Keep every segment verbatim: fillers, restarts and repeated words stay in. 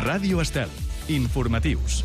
Ràdio Estel. Informatius.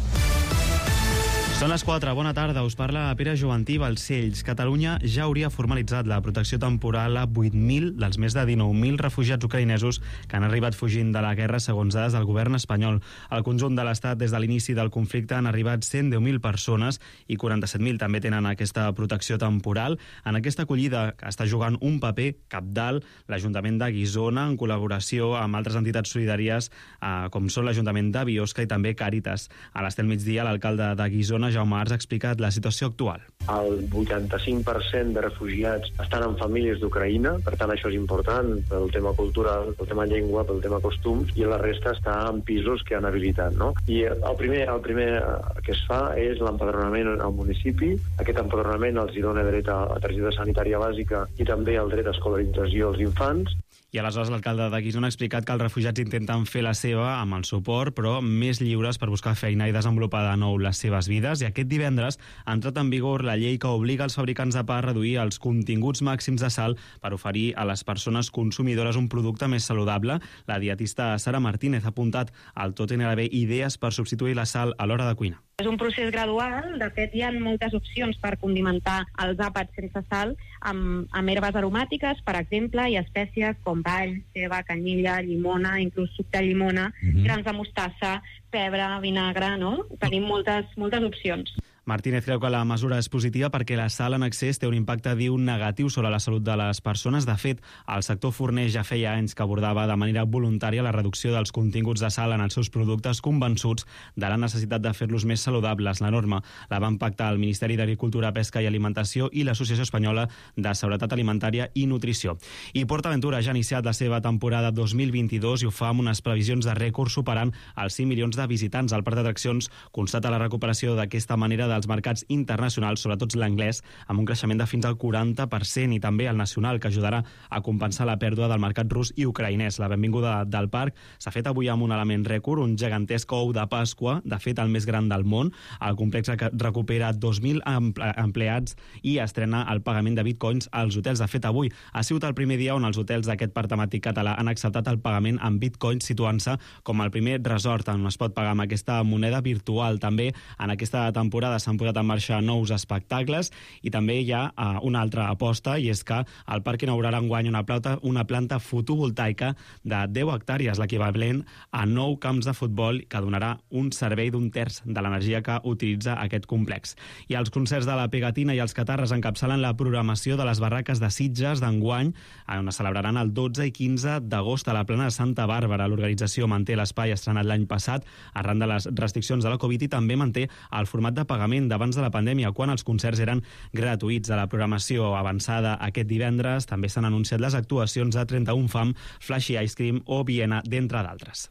Són les quatre. Bona tarda. Us parla Pere Jovantí, Balcells. Catalunya ja hauria formalitzat la protecció temporal a vuit mil dels més de dinou mil refugiats ucraïnesos que han arribat fugint de la guerra, segons dades del govern espanyol. Al conjunt de l'Estat, des de l'inici del conflicte, han arribat cent deu mil persones i quaranta-set mil també tenen aquesta protecció temporal. En aquesta acollida està jugant un paper cabdal l'Ajuntament de Guissona, en col·laboració amb altres entitats solidàries, eh, com són l'Ajuntament de Biosca i també Càritas. A l'Estel Migdia, l'alcalde de Guissona, Jaume Arts, ha explicat la situació actual. El vuitanta-cinc per cent de refugiats estan en famílies d'Ucraïna, per tant això és important pel tema cultural, pel tema llengua, pel tema costums, i la resta està en pisos que han habilitat, no? I el primer, el primer que es fa és l'empadronament al municipi. Aquest empadronament els hi dona dret a, a targeta sanitària bàsica i també el dret a escolarització als infants. I aleshores l'alcalde de Guissona ha explicat que els refugiats intenten fer la seva amb el suport, però més lliures per buscar feina i desenvolupar de nou les seves vides. I aquest divendres ha entrat en vigor la llei que obliga els fabricants de pa a reduir els continguts màxims de sal per oferir a les persones consumidores un producte més saludable. La dietista Sara Martínez ha apuntat al tot en haver idees per substituir la sal a l'hora de cuinar. És un procés gradual. De fet, hi ha moltes opcions per condimentar els àpats sense sal amb, amb herbes aromàtiques, per exemple, i espècies com all, ceba, canyella, llimona, inclús suc de llimona, mm-hmm. grans de mostassa, pebre, vinagre, no? Tenim moltes, moltes opcions. Martínez creu que la mesura és positiva perquè la sal en excés té un impacte, diu, negatiu sobre la salut de les persones. De fet, el sector forner ja feia anys que abordava de manera voluntària la reducció dels continguts de sal en els seus productes, convençuts de la necessitat de fer-los més saludables. La norma la van pactar el Ministeri d'Agricultura, Pesca i Alimentació i l'Associació Espanyola de Seguretat Alimentària i Nutrició. I PortAventura ja ha iniciat la seva temporada dos mil vint-i-dos i ho fa amb unes previsions de rècord superant els cinc milions de visitants. El parc d'atraccions constata la recuperació d'aquesta manera de dels mercats internacionals, sobretot l'anglès, amb un creixement de fins al quaranta per cent, i també el nacional, que ajudarà a compensar la pèrdua del mercat rus i ucraïnès. La benvinguda del parc s'ha fet avui amb un element rècord, un gegantesc ou de Pasqua, de fet el més gran del món. El complex recupera dos mil empleats i estrena el pagament de bitcoins als hotels. De fet, avui ha sigut el primer dia on els hotels d'aquest parc temàtic català han acceptat el pagament en bitcoins, situant-se com el primer resort on es pot pagar amb aquesta moneda virtual. També en aquesta temporada s'han posat en marxa nous espectacles i també hi ha uh, una altra aposta, i és que el parc inaugurarà enguany una planta, una planta fotovoltaica de deu hectàrees, l'equivalent a nou camps de futbol, que donarà un servei d'un terç de l'energia que utilitza aquest complex. I els concerts de la Pegatina i els Catarres encapçalen la programació de les barraques de Sitges d'enguany, on es celebraran el dotze i quinze d'agost a la plana de Santa Bàrbara. L'organització manté l'espai estrenat l'any passat arran de les restriccions de la Covid i també manté el format de pagament d'abans de la pandèmia, quan els concerts eren gratuïts. A la programació avançada aquest divendres també s'han anunciat les actuacions de trenta-un Fam, Flashy Ice Cream o Viena, d'entre d'altres.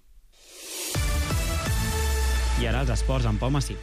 I ara els esports amb Pau Massip.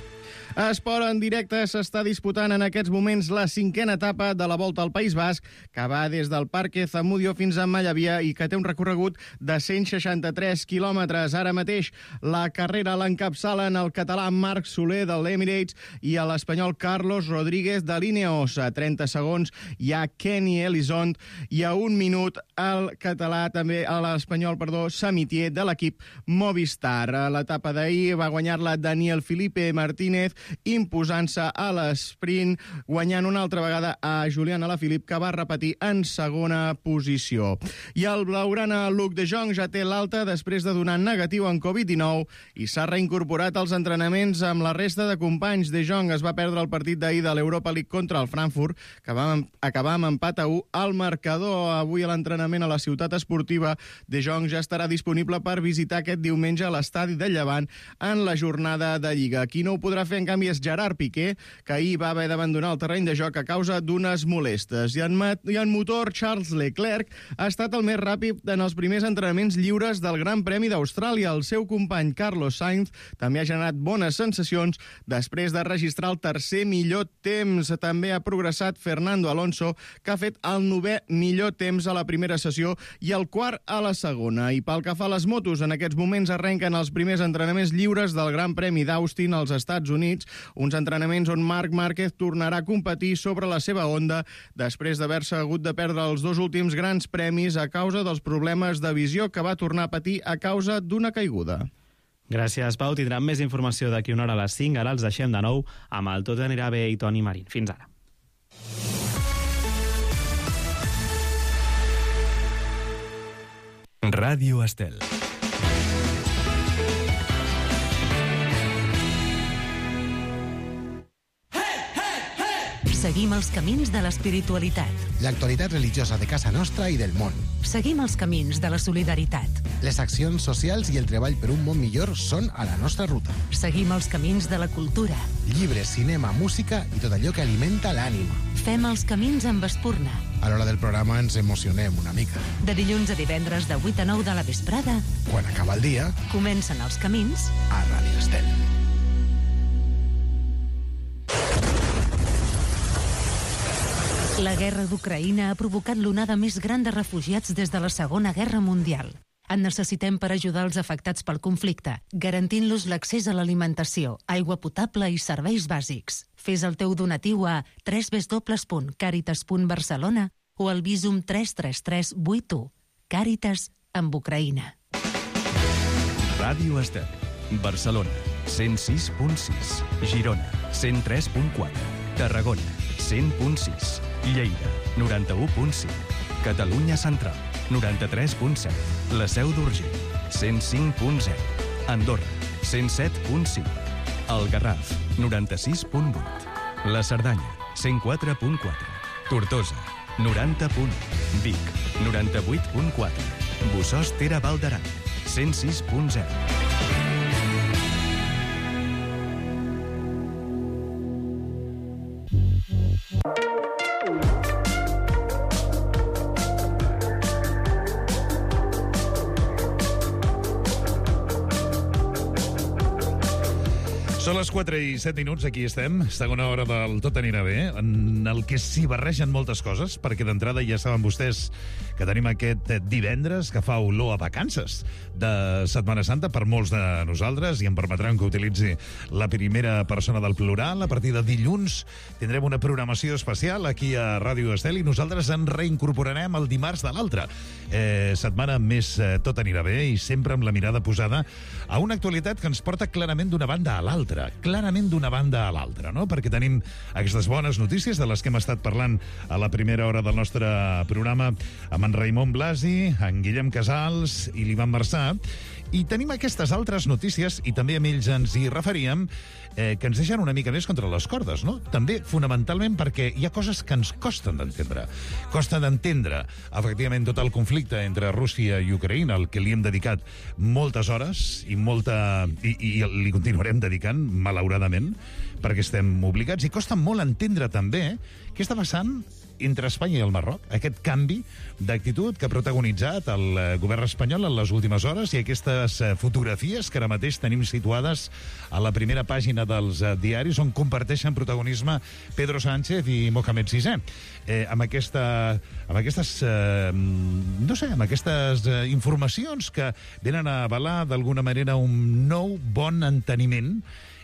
Esport en directe. S'està disputant en aquests moments la cinquena etapa de la Volta al País Basc, que va des del Parque Zamudio fins a Mallavia i que té un recorregut de cent seixanta-tres quilòmetres. Ara mateix la carrera l'encapçalen el català Marc Soler de l'Emirates i l'espanyol Carlos Rodríguez de l'Ineos. A trenta segons hi ha Kenny Elizond i a un minut el català, també l'espanyol, perdó, Samitier de l'equip Movistar. L'etapa d'ahir va guanyar-la Daniel Felipe Martínez, imposant-se a l'esprint, guanyant una altra vegada a Julián Alaphilippe, que va repetir en segona posició. I el blaugrana Luc de Jong ja té l'alta després de donar negatiu en covid dinou i s'ha reincorporat als entrenaments amb la resta de companys. De Jong es va perdre el partit d'ahir de l'Europa League contra el Frankfurt, que va acabar amb empat a u al marcador. Avui a l'entrenament a la ciutat esportiva, De Jong ja estarà disponible per visitar aquest diumenge a l'estadi de Llevant en la jornada de Lliga. Qui no ho podrà fer en canvi és Gerard Piqué, que ahir va haver d'abandonar el terreny de joc a causa d'unes molestes. I en, I en motor, Charles Leclerc ha estat el més ràpid en els primers entrenaments lliures del Gran Premi d'Austràlia. El seu company Carlos Sainz també ha generat bones sensacions després de registrar el tercer millor temps. També ha progressat Fernando Alonso, que ha fet el novè millor temps a la primera sessió i el quart a la segona. I pel que fa a les motos, en aquests moments arrenquen els primers entrenaments lliures del Gran Premi d'Austin als Estats Units, uns entrenaments on Marc Márquez tornarà a competir sobre la seva Honda després d'haver-se hagut de perdre els dos últims grans premis a causa dels problemes de visió que va tornar a patir a causa d'una caiguda. Gràcies, Pau. Tindrem més informació d'aquí una hora a les cinc. Ara els deixem de nou amb el Tot anirà bé i Toni Marín. Fins ara. Ràdio Estel. Seguim els camins de l'espiritualitat. L'actualitat religiosa de casa nostra i del món. Seguim els camins de la solidaritat. Les accions socials i el treball per un món millor són a la nostra ruta. Seguim els camins de la cultura. Llibres, cinema, música i tot allò que alimenta l'ànima. Fem els camins amb espurna. A l'hora del programa ens emocionem una mica. De dilluns a divendres de vuit a nou de la vesprada. Quan acaba el dia, comencen els camins a Ràdio Estel. La guerra d'Ucraïna ha provocat l'onada més gran de refugiats des de la Segona Guerra Mundial. En necessitem per ajudar els afectats pel conflicte, garantint-los l'accés a l'alimentació, aigua potable i serveis bàsics. Fes el teu donatiu a w w w punt caritas punt barcelona o al Visum tres tres tres vuit u. Càritas amb Ucraïna. Ràdio Estel. Barcelona, cent sis punt sis. Girona, cent tres punt quatre. Tarragona, cent punt sis. Lleida, noranta-u punt cinc. Catalunya Central, noranta-tres punt set. La Seu d'Urgell, cent cinc punt zero. Andorra, cent set punt cinc. El Garraf, noranta-sis punt vuit. La Cerdanya, cent quatre punt quatre. Tortosa, noranta punt u. Vic, noranta-vuit punt quatre. Bossòst Tere Val d'Aran, cent sis punt zero. Són les quatre i set minuts, aquí estem, segona hora del Tot anirà bé, en el que s'hi barregen moltes coses, perquè d'entrada ja saben vostès que tenim aquest divendres que fa olor a vacances de Setmana Santa per molts de nosaltres, i em permetran que utilitzi la primera persona del plural. A partir de dilluns tindrem una programació especial aquí a Ràdio Estel i nosaltres ens reincorporarem el dimarts de l'altre. Eh, setmana més eh, Tot anirà bé i sempre amb la mirada posada a una actualitat que ens porta clarament d'una banda a l'altra. clarament d'una banda a l'altra, no? Perquè tenim aquestes bones notícies de les que hem estat parlant a la primera hora del nostre programa amb en Raimon Blasi, en Guillem Casals i l'Ivan Marçà, i tenim aquestes altres notícies, i també amb ells ens hi referíem, eh, que ens deixen una mica més contra les cordes, no? També, fonamentalment, perquè hi ha coses que ens costen d'entendre. Costa d'entendre, efectivament, tot el conflicte entre Rússia i Ucraïna, al que li hem dedicat moltes hores i molta i, i li continuarem dedicant, malauradament, perquè estem obligats, i costa molt entendre també què està passant entre Espanya i el Marroc, aquest canvi d'actitud que ha protagonitzat el govern espanyol en les últimes hores, i aquestes fotografies que ara mateix tenim situades a la primera pàgina dels diaris, on comparteixen protagonisme Pedro Sánchez i Mohamed sisè. Eh, amb, aquesta, amb aquestes eh, no sé, amb aquestes eh, informacions que venen a avalar d'alguna manera un nou bon enteniment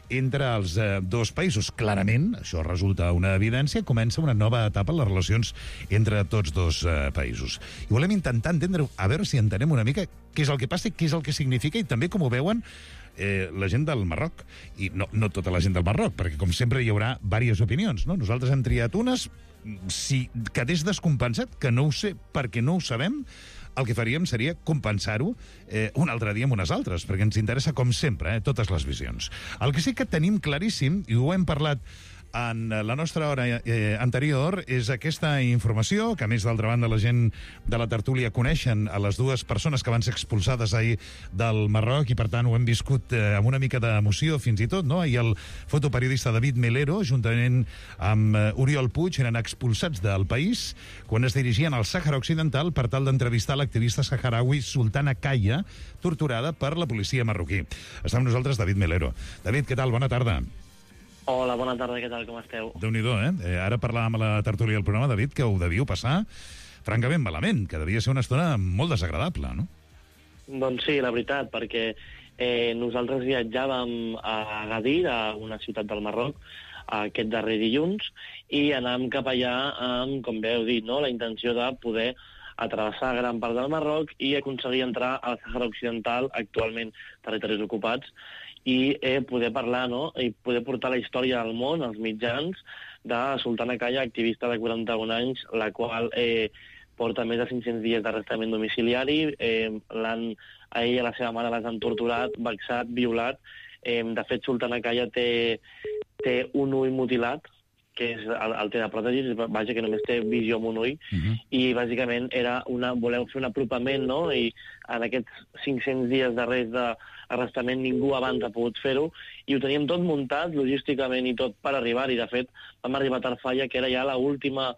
entre els eh, dos països. Clarament, això resulta una evidència, comença una nova etapa en les relacions entre tots dos eh, països. I volem intentar entendre, a veure si entenem una mica què és el que passa i què és el que significa, i també com ho veuen eh, la gent del Marroc. I no, no tota la gent del Marroc, perquè com sempre hi haurà diverses opinions, no? Nosaltres hem triat unes, si quedés descompensat, que no ho sé perquè no ho sabem, el que faríem seria compensar-ho eh, un altre dia amb unes altres, perquè ens interessa, com sempre, eh, totes les visions. El que sí que tenim claríssim, i ho hem parlat en la nostra hora eh, anterior, és aquesta informació, que a més, d'altra banda, la gent de la tertúlia coneixen a les dues persones que van ser expulsades ahir del Marroc, i per tant ho hem viscut eh, amb una mica d'emoció fins i tot, no? I el fotoperiodista David Melero, juntament amb eh, Oriol Puig, eren expulsats del país quan es dirigien al Sàhara Occidental per tal d'entrevistar l'activista saharaui Sultana Kaya, torturada per la policia marroquí. Està amb nosaltres David Melero. David, què tal? Bona tarda. Hola, bona tarda, què tal, com esteu? Déu-n'hi-do, eh? eh? Ara parlàvem a la tertúlia del programa, David, que ho devíeu passar francament malament, que devia ser una estona molt desagradable, no? Doncs sí, la veritat, perquè eh, nosaltres viatjàvem a Agadir, a una ciutat del Marroc, aquest darrer dilluns, i anàvem cap allà amb, com bé heu dit, no?, la intenció de poder a travessar gran part del Marroc i aconseguir entrar a la Sàhara Occidental, actualment territoris ocupats, i eh, poder parlar, no?, i poder portar la història al món, als mitjans, de Sultana Kaya, activista de quaranta-un anys, la qual eh, porta més de cinc-cents dies d'arrestament domiciliari, eh, l'han, a ella i a la seva mare les han torturat, vexat, violat. Eh, de fet, Sultana Kaya té, té un ull mutilat, que és el, el té de pròtesis, vaja, que només té visió amb un ull, uh-huh. i bàsicament era una, voleu fer un apropament, no?, i en aquests cinc-cents dies d'arrest d'arrestament ningú abans ha pogut fer-ho, i ho teníem tot muntat logísticament i tot per arribar-hi. De fet, vam arribar a Tarfaya, que era ja l'última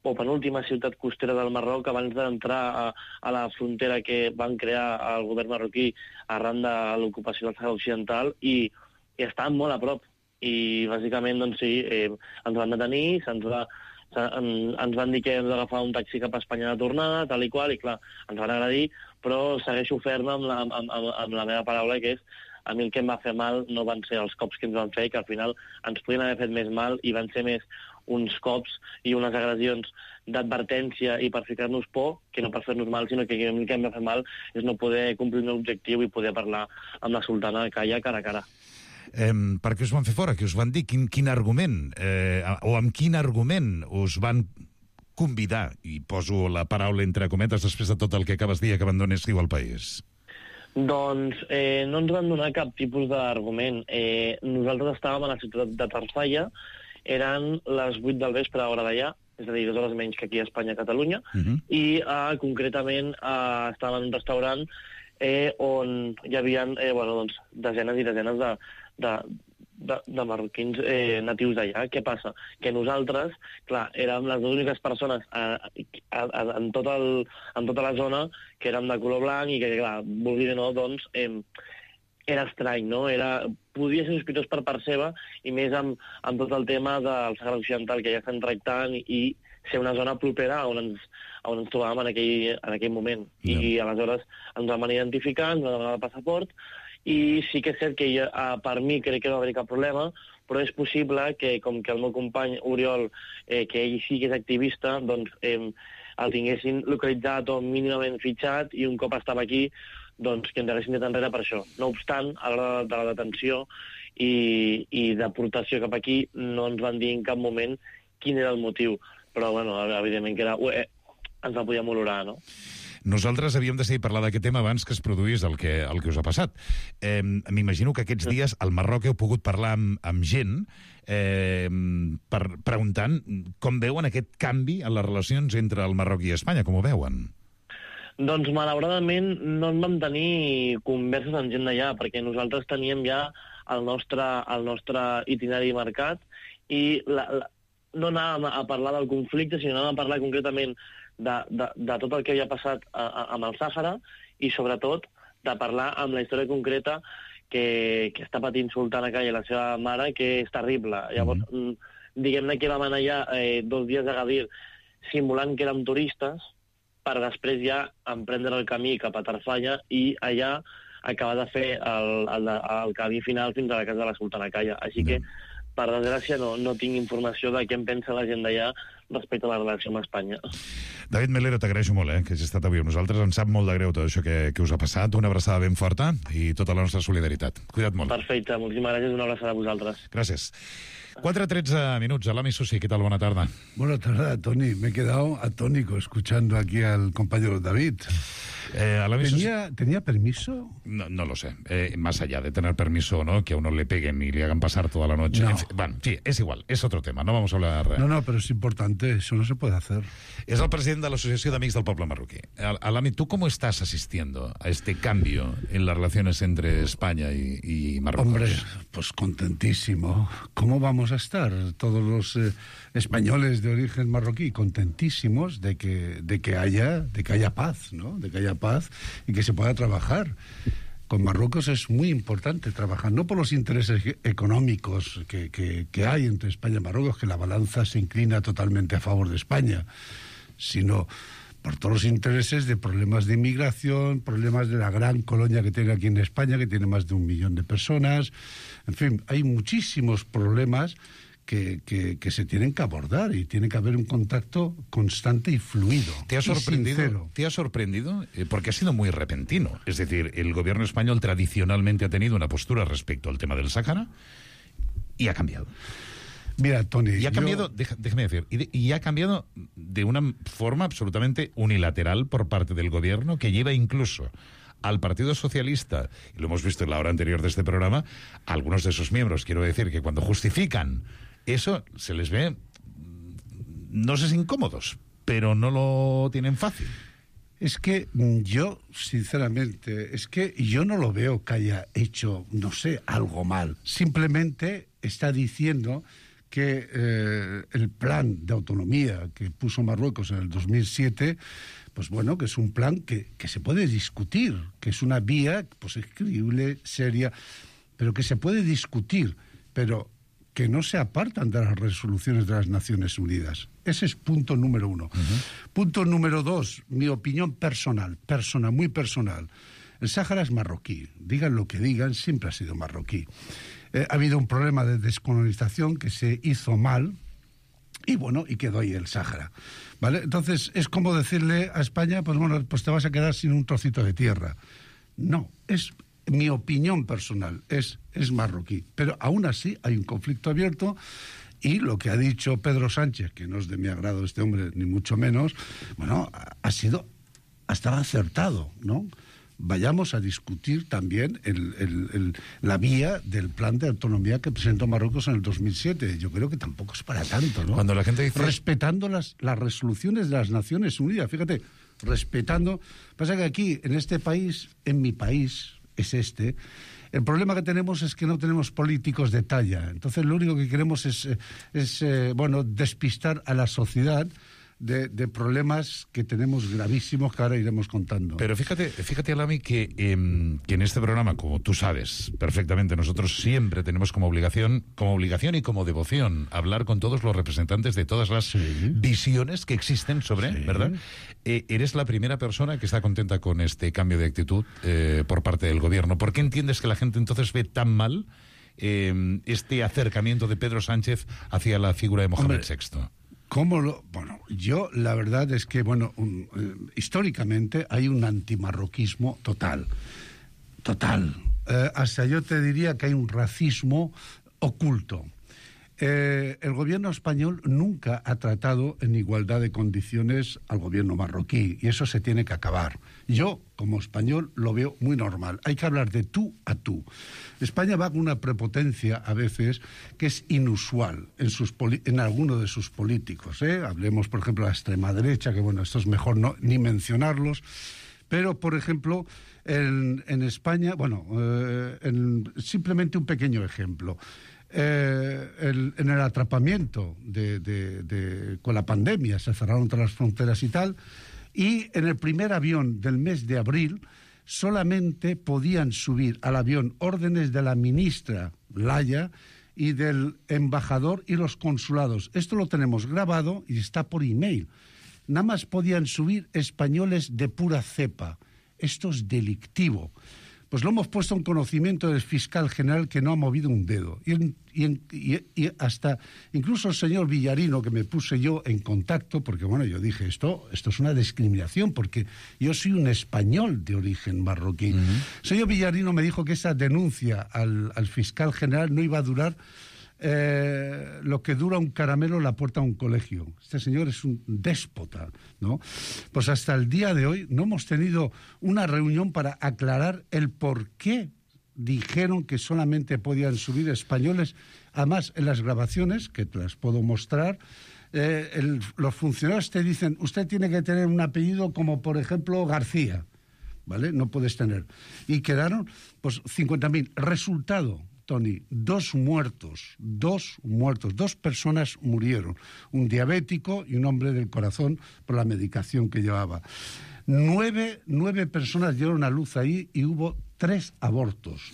o penúltima ciutat costera del Marroc abans d'entrar a, a la frontera que van crear el govern marroquí arran de l'ocupació del Sàhara Occidental, i, i estàvem molt a prop. I bàsicament, doncs sí, eh, ens van detenir, se'ns va, se, en, ens van dir que hem d'agafar un taxi cap a Espanya de tornada, tal i qual, i clar, ens van agradir, però segueixo ferm amb la, amb, amb, amb la meva paraula, que és a mi el que em va fer mal no van ser els cops que ens van fer, que al final ens podien haver fet més mal i van ser més uns cops i unes agressions d'advertència i per ficar-nos por, que no per fer-nos mal, sinó que el que em va fer mal és no poder complir un objectiu i poder parlar amb la Sultana Kaya cara a cara. Eh, per què us van fer fora? Què us van dir? Quin, quin argument? Eh, o amb quin argument us van convidar, i poso la paraula entre cometes després de tot el que acabes de dir, que abandonéssiu el país? Doncs eh, no ens van donar cap tipus d'argument. Eh, nosaltres estàvem a la ciutat de Tarfaya, eren les vuit del vespre a hora d'allà, és a dir, dues hores menys que aquí a Espanya, a Catalunya, uh-huh. i eh, concretament eh, estàvem en un restaurant eh, on hi havia eh, bueno, doncs, desenes i desenes de, de, de, de marroquins eh, natius d'allà. Què passa? Que nosaltres, clar, érem les dues úniques persones a, a, a, en, tot el, en tota la zona que érem de color blanc i que, clar, vulgui o no, doncs, eh, era estrany, no? Era, podia ser sospitós per part seva, i més amb, amb tot el tema del Sàhara Occidental que ja estan tractant, i ser una zona propera on ens, on ens trobàvem en aquell, en aquell moment. Yeah. I aleshores ens vam identificar, ens vam demanar el passaport, i sí que és cert que jo, per mi crec que no va haver cap problema, però és possible que, com que el meu company Oriol, eh, que ell sí que és activista, doncs eh, el tinguessin localitzat o mínimament fitxat, i un cop estava aquí, doncs que ens haguessin dit enrere per això. No obstant, a l'hora de la detenció i, i deportació cap aquí, no ens van dir en cap moment quin era el motiu. Però, bueno, evidentment que era, eh, ens va poder olorar, no? Nosaltres havíem decidit parlar d'aquest tema abans que es produís el que, el que us ha passat. Eh, M'imagino que aquests dies al Marroc heu pogut parlar amb, amb gent eh, per, preguntant com veuen aquest canvi en les relacions entre el Marroc i Espanya, com ho veuen? Doncs, malauradament, no en vam tenir converses amb gent d'allà, perquè nosaltres teníem ja el nostre, el nostre itinerari marcat, i la, la, no anàvem a parlar del conflicte, sinó anàvem a parlar concretament de, de, de tot el que havia passat a, a, amb el Sàhara, i sobretot de parlar amb la història concreta que, que està patint Sultana Kaya i la seva mare, que és terrible. Llavors, mm. diguem-ne que vam anar allà eh, dos dies a Gadir simulant que érem turistes, per després ja emprendre el camí cap a Tarfaya i allà acabar de fer el, el, el camí final fins a la casa de la Sultana Kaya. Així mm. que, per desgràcia, no, no tinc informació de què en pensa la gent d'allà respecte a la relació amb Espanya. David Melero, t'agraeixo molt eh, que hagis estat avui amb nosaltres. Ens sap molt de greu tot això que, que us ha passat. Una abraçada ben forta i tota la nostra solidaritat. Cuida't molt. Perfecte, moltíssimes gràcies. Una abraçada a vosaltres. Gràcies. cuatro trece minutos. Alami Susi, ¿qué tal? Buena tarde. Buena tarde, Tony. Me he quedado atónico escuchando aquí al compañero David. Eh, ¿Tenía, ¿Tenía permiso? No, no lo sé. Eh, más allá de tener permiso, ¿no? Que a uno le peguen y le hagan pasar toda la noche. No. En fin, bueno, sí, es igual. Es otro tema. No vamos a hablar... No, no, pero es importante. Eso no se puede hacer. Es el presidente de la Asociación de Amigos del Pueblo Marroquí. Alami, ¿tú cómo estás asistiendo a este cambio en las relaciones entre España y, y Marruecos? Hombre, pues contentísimo. ¿Cómo vamos a estar todos los eh, españoles de origen marroquí? Contentísimos de que, de que haya, de que haya paz, ¿no? De que haya paz y que se pueda trabajar. Con Marruecos es muy importante trabajar, no por los intereses económicos que, que, que hay entre España y Marruecos, que la balanza se inclina totalmente a favor de España, sino por todos los intereses de problemas de inmigración, problemas de la gran colonia que tiene aquí en España, que tiene más de un millón de personas. En fin, hay muchísimos problemas que, que, que se tienen que abordar y tiene que haber un contacto constante y fluido. ¿Te ha sorprendido? ¿Te ha sorprendido? Eh, porque ha sido muy repentino. Es decir, el gobierno español tradicionalmente ha tenido una postura respecto al tema del Sáhara y ha cambiado. Mira, Tony... Y ha cambiado, yo... deja, déjame decir, y, de, y ha cambiado de una forma absolutamente unilateral por parte del gobierno, que lleva incluso al Partido Socialista, y lo hemos visto en la hora anterior de este programa, a algunos de sus miembros, quiero decir, que cuando justifican eso, se les ve, no sé si incómodos, pero no lo tienen fácil. Es que yo, sinceramente, es que yo no lo veo que haya hecho, no sé, algo mal. Simplemente está diciendo que eh, el plan de autonomía que puso Marruecos en el dos mil siete, pues bueno, que es un plan que, que se puede discutir, que es una vía, pues es creíble, seria, pero que se puede discutir, pero que no se apartan de las resoluciones de las Naciones Unidas. Ese es punto número uno. Uh-huh. Punto número dos, mi opinión personal, personal, muy personal. El Sáhara es marroquí, digan lo que digan, siempre ha sido marroquí. Eh, ha habido un problema de descolonización que se hizo mal, y bueno, y quedó ahí el Sáhara, ¿vale? Entonces, es como decirle a España, pues bueno, pues te vas a quedar sin un trocito de tierra. No, es mi opinión personal, es, es marroquí. Pero aún así hay un conflicto abierto, y lo que ha dicho Pedro Sánchez, que no es de mi agrado este hombre, ni mucho menos, bueno, ha sido hasta acertado, ¿no? Vayamos a discutir también el, el, el, la vía del plan de autonomía que presentó Marruecos en el dos mil siete. Yo creo que tampoco es para tanto, ¿no? Cuando la gente dice... Respetando las, las resoluciones de las Naciones Unidas, fíjate, respetando... Pasa que aquí, en este país, en mi país, es este, el problema que tenemos es que no tenemos políticos de talla. Entonces lo único que queremos es, es eh, bueno, despistar a la sociedad De, de problemas que tenemos gravísimos que ahora iremos contando. Pero fíjate, fíjate Alami, que, eh, que en este programa, como tú sabes perfectamente, nosotros siempre tenemos como obligación, como obligación y como devoción hablar con todos los representantes de todas las sí. visiones que existen sobre, sí. ¿verdad? Eh, eres la primera persona que está contenta con este cambio de actitud eh, por parte del gobierno. ¿Por qué entiendes que la gente entonces ve tan mal eh, este acercamiento de Pedro Sánchez hacia la figura de Mohamed Hombre. sexto? ¿Cómo lo...? Bueno, yo la verdad es que, bueno, un, eh, históricamente hay un antimarroquismo total, total. Eh, hasta yo te diría que hay un racismo oculto. Eh, el gobierno español nunca ha tratado en igualdad de condiciones al gobierno marroquí, y eso se tiene que acabar. Yo, como español, lo veo muy normal. Hay que hablar de tú a tú. España va con una prepotencia, a veces, que es inusual en, sus en algunos de sus políticos, ¿eh? Hablemos, por ejemplo, de la extrema derecha, que bueno, esto es mejor no, ni mencionarlos, pero, por ejemplo, en, en España, bueno, eh, en, simplemente un pequeño ejemplo. Eh, el, en el atrapamiento de, de, de, con la pandemia, se cerraron todas las fronteras y tal, y en el primer avión del mes de abril solamente podían subir al avión órdenes de la ministra Laya y del embajador y los consulados. Esto lo tenemos grabado y está por email. Nada más podían subir españoles de pura cepa. Esto es delictivo. Pues lo hemos puesto en conocimiento del fiscal general, que no ha movido un dedo. Y, en, y, en, y, y hasta incluso el señor Villarino, que me puse yo en contacto, porque bueno, yo dije, esto, esto es una discriminación, porque yo soy un español de origen marroquí. Uh-huh. El señor Villarino me dijo que esa denuncia al, al fiscal general no iba a durar Eh, lo que dura un caramelo en la puerta de un colegio. Este señor es un déspota, ¿no? Pues hasta el día de hoy no hemos tenido una reunión para aclarar el por qué dijeron que solamente podían subir españoles. Además, en las grabaciones, que te las puedo mostrar, eh, el, los funcionarios te dicen, usted tiene que tener un apellido como, por ejemplo, García, ¿vale? No puedes tener. Y quedaron, pues, cincuenta mil. Resultado, Tony, dos muertos, dos muertos, dos personas murieron, un diabético y un hombre del corazón por la medicación que llevaba. Nueve, nueve personas dieron a luz ahí y hubo tres abortos.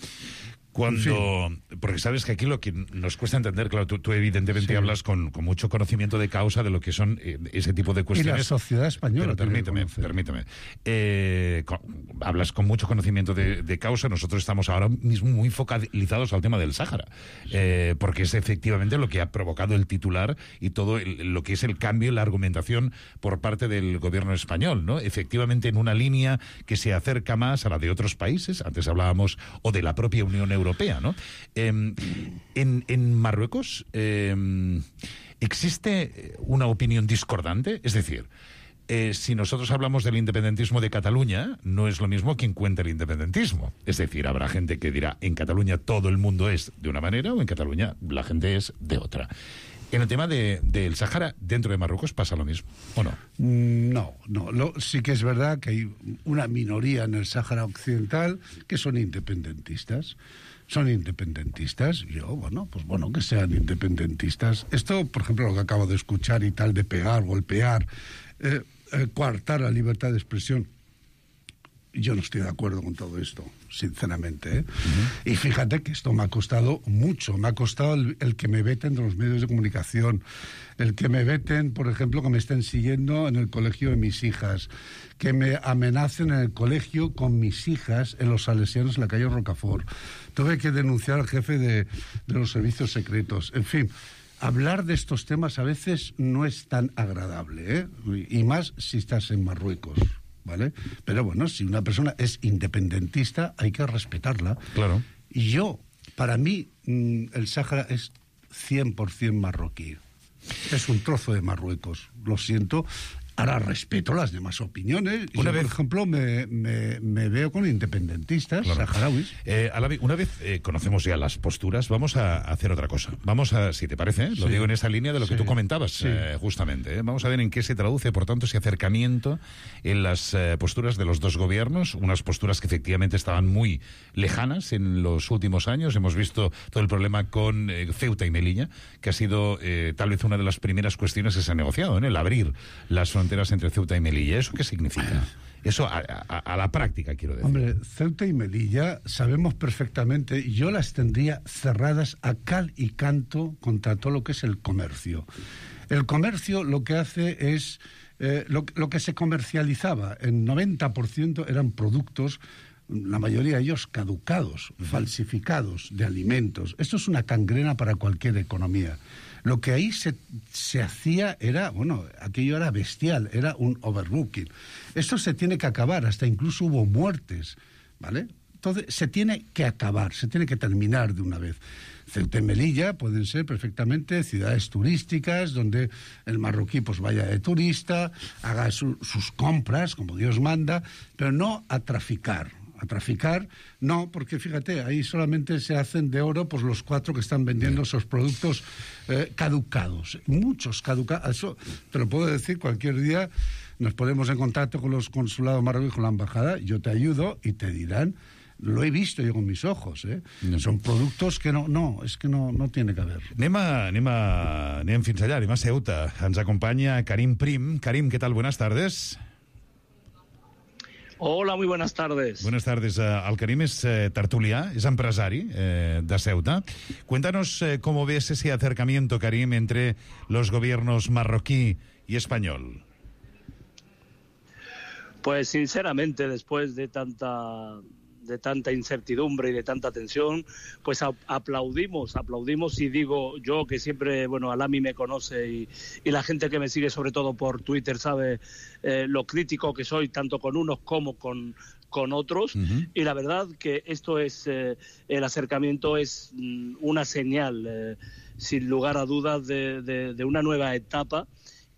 Cuando, porque sabes que aquí lo que nos cuesta entender, claro, tú, tú evidentemente Sí. hablas con, con mucho conocimiento de causa de lo que son eh, ese tipo de Y cuestiones. la sociedad española Pero también permíteme, conoce. permíteme. Eh, con- hablas con mucho conocimiento de, de causa. Nosotros estamos ahora mismo muy focalizados al tema del Sáhara, eh, porque es efectivamente lo que ha provocado el titular y todo el- lo que es el cambio en la argumentación por parte del gobierno español, ¿no? Efectivamente, en una línea que se acerca más a la de otros países, antes hablábamos, o de la propia Unión Europea, ¿no? Eh, en, en Marruecos, eh, ¿existe una opinión discordante? Es decir, eh, si nosotros hablamos del independentismo de Cataluña, no es lo mismo quien cuenta el independentismo. Es decir, habrá gente que dirá, en Cataluña todo el mundo es de una manera o en Cataluña la gente es de otra. En el tema de, del Sáhara, dentro de Marruecos, ¿pasa lo mismo o no? No, no. Lo, sí que es verdad que hay una minoría en el Sáhara Occidental que son independentistas. Son independentistas. Yo, bueno, pues bueno, que sean independentistas. Esto, por ejemplo, lo que acabo de escuchar y tal, de pegar, golpear, eh, eh, coartar la libertad de expresión. Yo no estoy de acuerdo con todo esto, sinceramente, ¿eh? Uh-huh. Y fíjate que esto me ha costado mucho. Me ha costado el, el que me veten de los medios de comunicación, el que me veten, por ejemplo, que me estén siguiendo en el colegio de mis hijas, que me amenacen en el colegio con mis hijas en los Salesianos en la calle Rocafort. Tuve que denunciar al jefe de, de los servicios secretos. En fin, hablar de estos temas a veces no es tan agradable, ¿eh? Y más si estás en Marruecos. ¿Vale? Pero bueno, si una persona es independentista, hay que respetarla. Claro. Y yo, para mí, el Sáhara es cien por ciento marroquí. Es un trozo de Marruecos. Lo siento. Ahora respeto las demás opiniones. Una yo, vez... por ejemplo, me, me, me veo con independentistas claro. saharauis. Eh, Alavi, una vez eh, conocemos ya las posturas, vamos a hacer otra cosa. Vamos a, si te parece, ¿eh? lo sí. digo en esa línea de lo sí. que tú comentabas, sí. eh, justamente. ¿eh? Vamos a ver en qué se traduce, por tanto, ese acercamiento en las eh, posturas de los dos gobiernos, unas posturas que efectivamente estaban muy lejanas en los últimos años. Hemos visto todo el problema con eh, Ceuta y Melilla, que ha sido eh, tal vez una de las primeras cuestiones que se ha negociado, ¿eh? el abrir las fronteras entre Ceuta y Melilla. ¿Eso qué significa? Eso a, a, a la práctica, quiero decir. Hombre, Ceuta y Melilla sabemos perfectamente, yo las tendría cerradas a cal y canto contra todo lo que es el comercio. El comercio lo que hace es, eh, lo, lo que se comercializaba, en noventa por ciento eran productos, la mayoría de ellos caducados, uh-huh. falsificados de alimentos. Esto es una gangrena para cualquier economía. Lo que ahí se, se hacía era, bueno, aquello era bestial, era un overbooking. Esto se tiene que acabar, hasta incluso hubo muertes, ¿vale? Entonces, se tiene que acabar, se tiene que terminar de una vez. Ceuta y Melilla pueden ser perfectamente ciudades turísticas, donde el marroquí pues vaya de turista, haga su, sus compras, como Dios manda, pero no a traficar. A traficar, no, porque fíjate, ahí solamente se hacen de oro pues los cuatro que están vendiendo esos productos eh, caducados, muchos caducados. Eso te lo puedo decir cualquier día, nos ponemos en contacto con los consulados marroquíes, con la embajada, yo te ayudo y te dirán, lo he visto yo con mis ojos, ¿eh? No. Son productos que no, no, es que no, no tiene que haber. Anem, a, anem, a, anem fins allà, anem a Ceuta. Ens acompanya Karim Prim. Karim, ¿qué tal? Buenas tardes. Hola, muy buenas tardes. Buenas tardes. Uh, el Karim es eh, tertulià, es empresari eh, de Ceuta. Cuéntanos eh, cómo ves ese acercamiento, Karim, entre los gobiernos marroquí y español. Pues sinceramente, después de tanta de tanta incertidumbre y de tanta tensión, pues a, aplaudimos, aplaudimos y digo yo que siempre, bueno, Alami me conoce y, y la gente que me sigue sobre todo por Twitter sabe eh, lo crítico que soy tanto con unos como con con otros, uh-huh. y la verdad que esto es, eh, el acercamiento es mm, una señal, eh, sin lugar a dudas, de, de, de una nueva etapa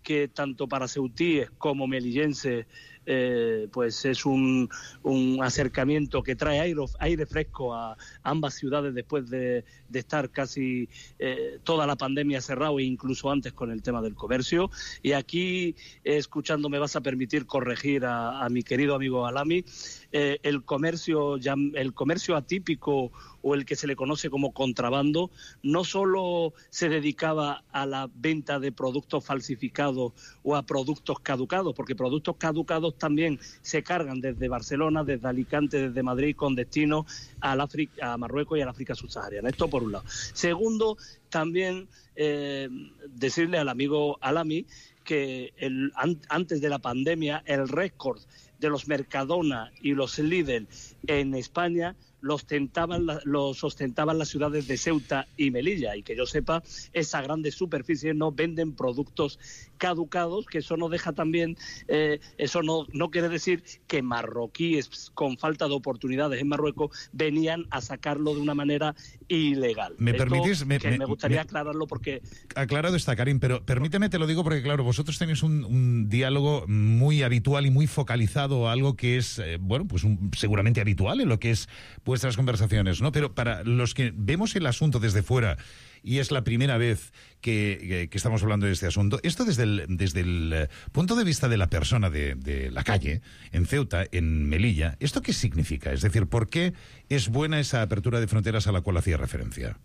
que tanto para ceutíes como melillenses Eh, pues es un, un acercamiento que trae aire, aire fresco a ambas ciudades después de, de estar casi eh, toda la pandemia cerrado e incluso antes con el tema del comercio. Y aquí, eh, escuchando, me vas a permitir corregir a, a mi querido amigo Alami, eh, el comercio ya, el comercio atípico o el que se le conoce como contrabando no solo se dedicaba a la venta de productos falsificados o a productos caducados, porque productos caducados ellos también se cargan desde Barcelona, desde Alicante, desde Madrid, con destino al África, a Marruecos y al África subsahariana. Esto por un lado. Segundo, también eh, decirle al amigo Alami que el, an, antes de la pandemia el récord de los Mercadona y los Lidl en España los ostentaban, los ostentaban las ciudades de Ceuta y Melilla, y que yo sepa, esas grandes superficies no venden productos caducados, que eso no deja también, eh, eso no, no quiere decir que marroquíes con falta de oportunidades en Marruecos venían a sacarlo de una manera ilegal. ¿Me Esto, permitís? Me, que me, me gustaría me, aclararlo porque... Aclarado está, Karim, pero permíteme, te lo digo porque, claro, vosotros tenéis un, un diálogo muy habitual y muy focalizado a algo que es, eh, bueno, pues un, seguramente habitual en lo que es vuestras conversaciones, ¿no? Pero para los que vemos el asunto desde fuera y es la primera vez que, que, que estamos hablando de este asunto, esto desde el, desde el punto de vista de la persona de, de la calle, en Ceuta, en Melilla, ¿esto qué significa? Es decir, ¿por qué es buena esa apertura de fronteras a la cual hacía referencia?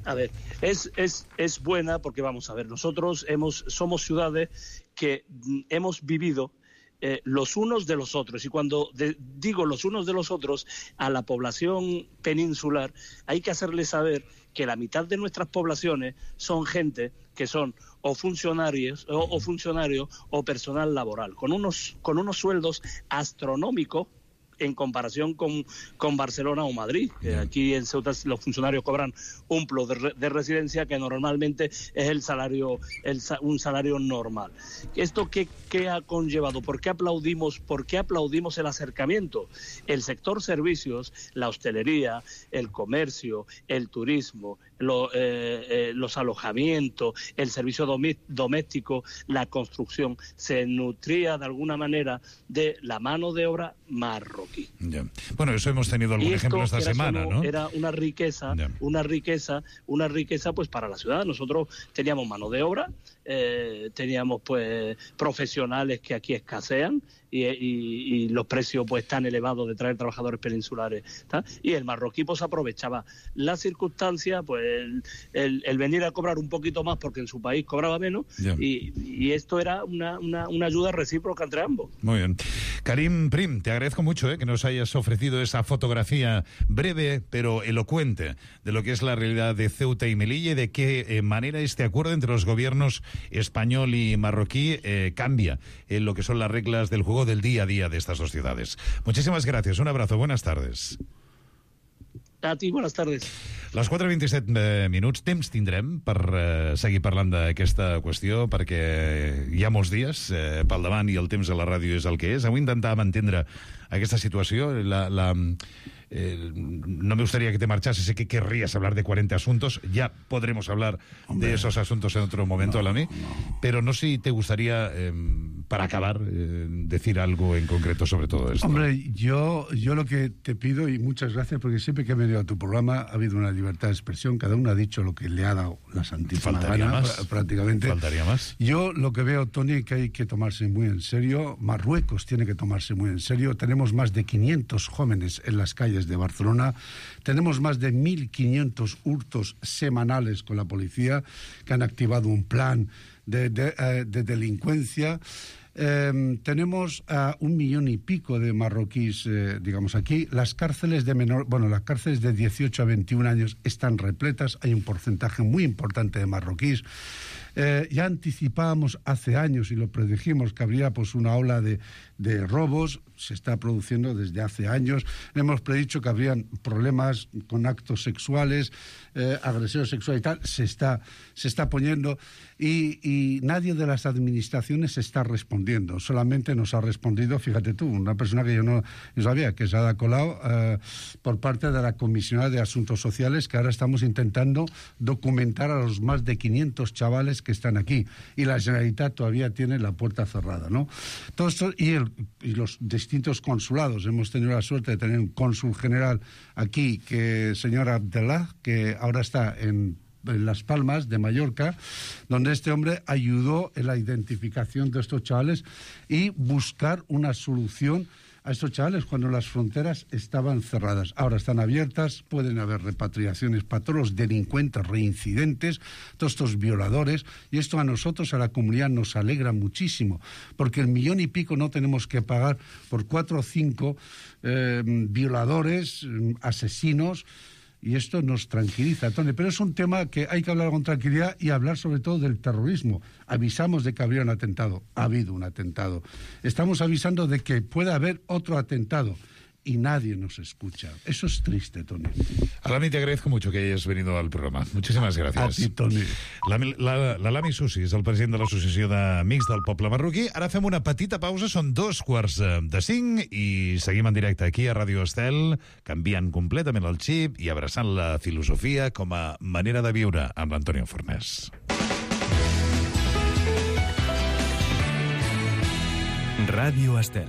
A ver, es, es, es buena porque, vamos a ver, nosotros hemos, somos ciudades que hemos vivido Eh, los unos de los otros, y cuando de, digo los unos de los otros a la población peninsular, hay que hacerle saber que la mitad de nuestras poblaciones son gente que son o funcionarios o, o funcionarios o personal laboral, con unos, con unos sueldos astronómicos en comparación con, con Barcelona o Madrid. Que aquí en Ceuta los funcionarios cobran un plus de, re, de residencia que normalmente es el salario, el, un salario normal. ¿Esto qué, qué ha conllevado? ¿Por qué aplaudimos, por qué aplaudimos el acercamiento? El sector servicios, la hostelería, el comercio, el turismo, lo, eh, eh, los alojamientos, el servicio doméstico, la construcción, se nutría de alguna manera de la mano de obra marroquí. Ya. Bueno, eso hemos tenido algún ejemplo esta semana, solo, ¿no? Era una riqueza, ya. una riqueza, una riqueza pues para la ciudad. Nosotros teníamos mano de obra, eh, teníamos pues profesionales que aquí escasean y, y, y los precios pues tan elevados de traer trabajadores peninsulares, ¿tá? Y el marroquí pues aprovechaba la circunstancia, pues el, el, el venir a cobrar un poquito más porque en su país cobraba menos, y, y esto era una, una, una ayuda recíproca entre ambos. Muy bien. Karim Prim, te agradezco mucho eh, que nos hayas ofrecido esa fotografía breve pero elocuente de lo que es la realidad de Ceuta y Melilla y de qué eh, manera este acuerdo entre los gobiernos español y marroquí eh, cambia en lo que son las reglas del juego del día a día de estas dos ciudades. Muchísimas gracias, un abrazo, buenas tardes. A ti, buenas tardes. Les quatre i vint-i-set eh, minuts, temps tindrem per eh, seguir parlant d'aquesta qüestió, perquè hi ha molts dies eh, pel davant i el temps a la ràdio és el que és. Avui intentàvem entendre aquesta situació. La, la, eh, no me gustaría que te marchases, sé que querrías hablar de cuarenta asuntos, ya podremos hablar Hombre, de esos asuntos en otro momento, no, Alami, no. Pero no sé si te gustaría, eh, para acabar, eh, decir algo en concreto sobre todo esto. Hombre, yo, yo lo que te pido, y muchas gracias, porque siempre que he venido a tu programa ha habido una libertad de expresión, cada uno ha dicho lo que le ha dado la santísima Faltaría gana, más. prácticamente. Faltaría más. Yo lo que veo, Tony, que hay que tomarse muy en serio, Marruecos tiene que tomarse muy en serio, tenemos más de quinientos jóvenes en las calles de Barcelona, tenemos más de mil quinientos hurtos semanales con la policía, que han activado un plan de, de, uh, de delincuencia. Eh, tenemos a uh, un millón y pico de marroquíes, eh, digamos, aquí. Las cárceles de menor, bueno, las cárceles de dieciocho a veintiún años están repletas, hay un porcentaje muy importante de marroquíes. Eh, ya anticipábamos hace años y lo predijimos que habría pues una ola de, de robos, se está produciendo desde hace años. Hemos predicho que habrían problemas con actos sexuales, eh, agresión sexual y tal, se está, se está poniendo y, y nadie de las administraciones está respondiendo, solamente nos ha respondido, fíjate tú, una persona que yo no yo sabía, que es Ada Colau, eh, por parte de la Comisionada de Asuntos Sociales, que ahora estamos intentando documentar a los más de quinientos chavales que están aquí, y la Generalitat todavía tiene la puerta cerrada, ¿no? Todo esto, y, el, y los distintos consulados, hemos tenido la suerte de tener un cónsul general aquí, que señor Abdellah, que ahora está en en Las Palmas de Mallorca, donde este hombre ayudó en la identificación de estos chavales y buscar una solución a estos chavales cuando las fronteras estaban cerradas. Ahora están abiertas, pueden haber repatriaciones para todos los delincuentes reincidentes, todos estos violadores, y esto a nosotros, a la comunidad, nos alegra muchísimo, porque el millón y pico no tenemos que pagar por cuatro o cinco eh, violadores, asesinos, y esto nos tranquiliza, Tony. Pero es un tema que hay que hablar con tranquilidad y hablar sobre todo del terrorismo. Avisamos de que habría un atentado. Ha habido un atentado. Estamos avisando de que puede haber otro atentado. Y nadie nos escucha. Eso es triste, Tony. Alami, te agradezco mucho que hayas venido al programa. Muchísimas gracias. A ti, Tony. L'Alami Susi és el president de l'Associació d'Amics del Poble Marroquí. Ara fem una petita pausa, són dos quarts de cinc i seguim en directe aquí a Ràdio Estel, canviant completament el xip i abraçant la filosofia com a manera de viure amb l'Antonio Fornés. Ràdio Estel.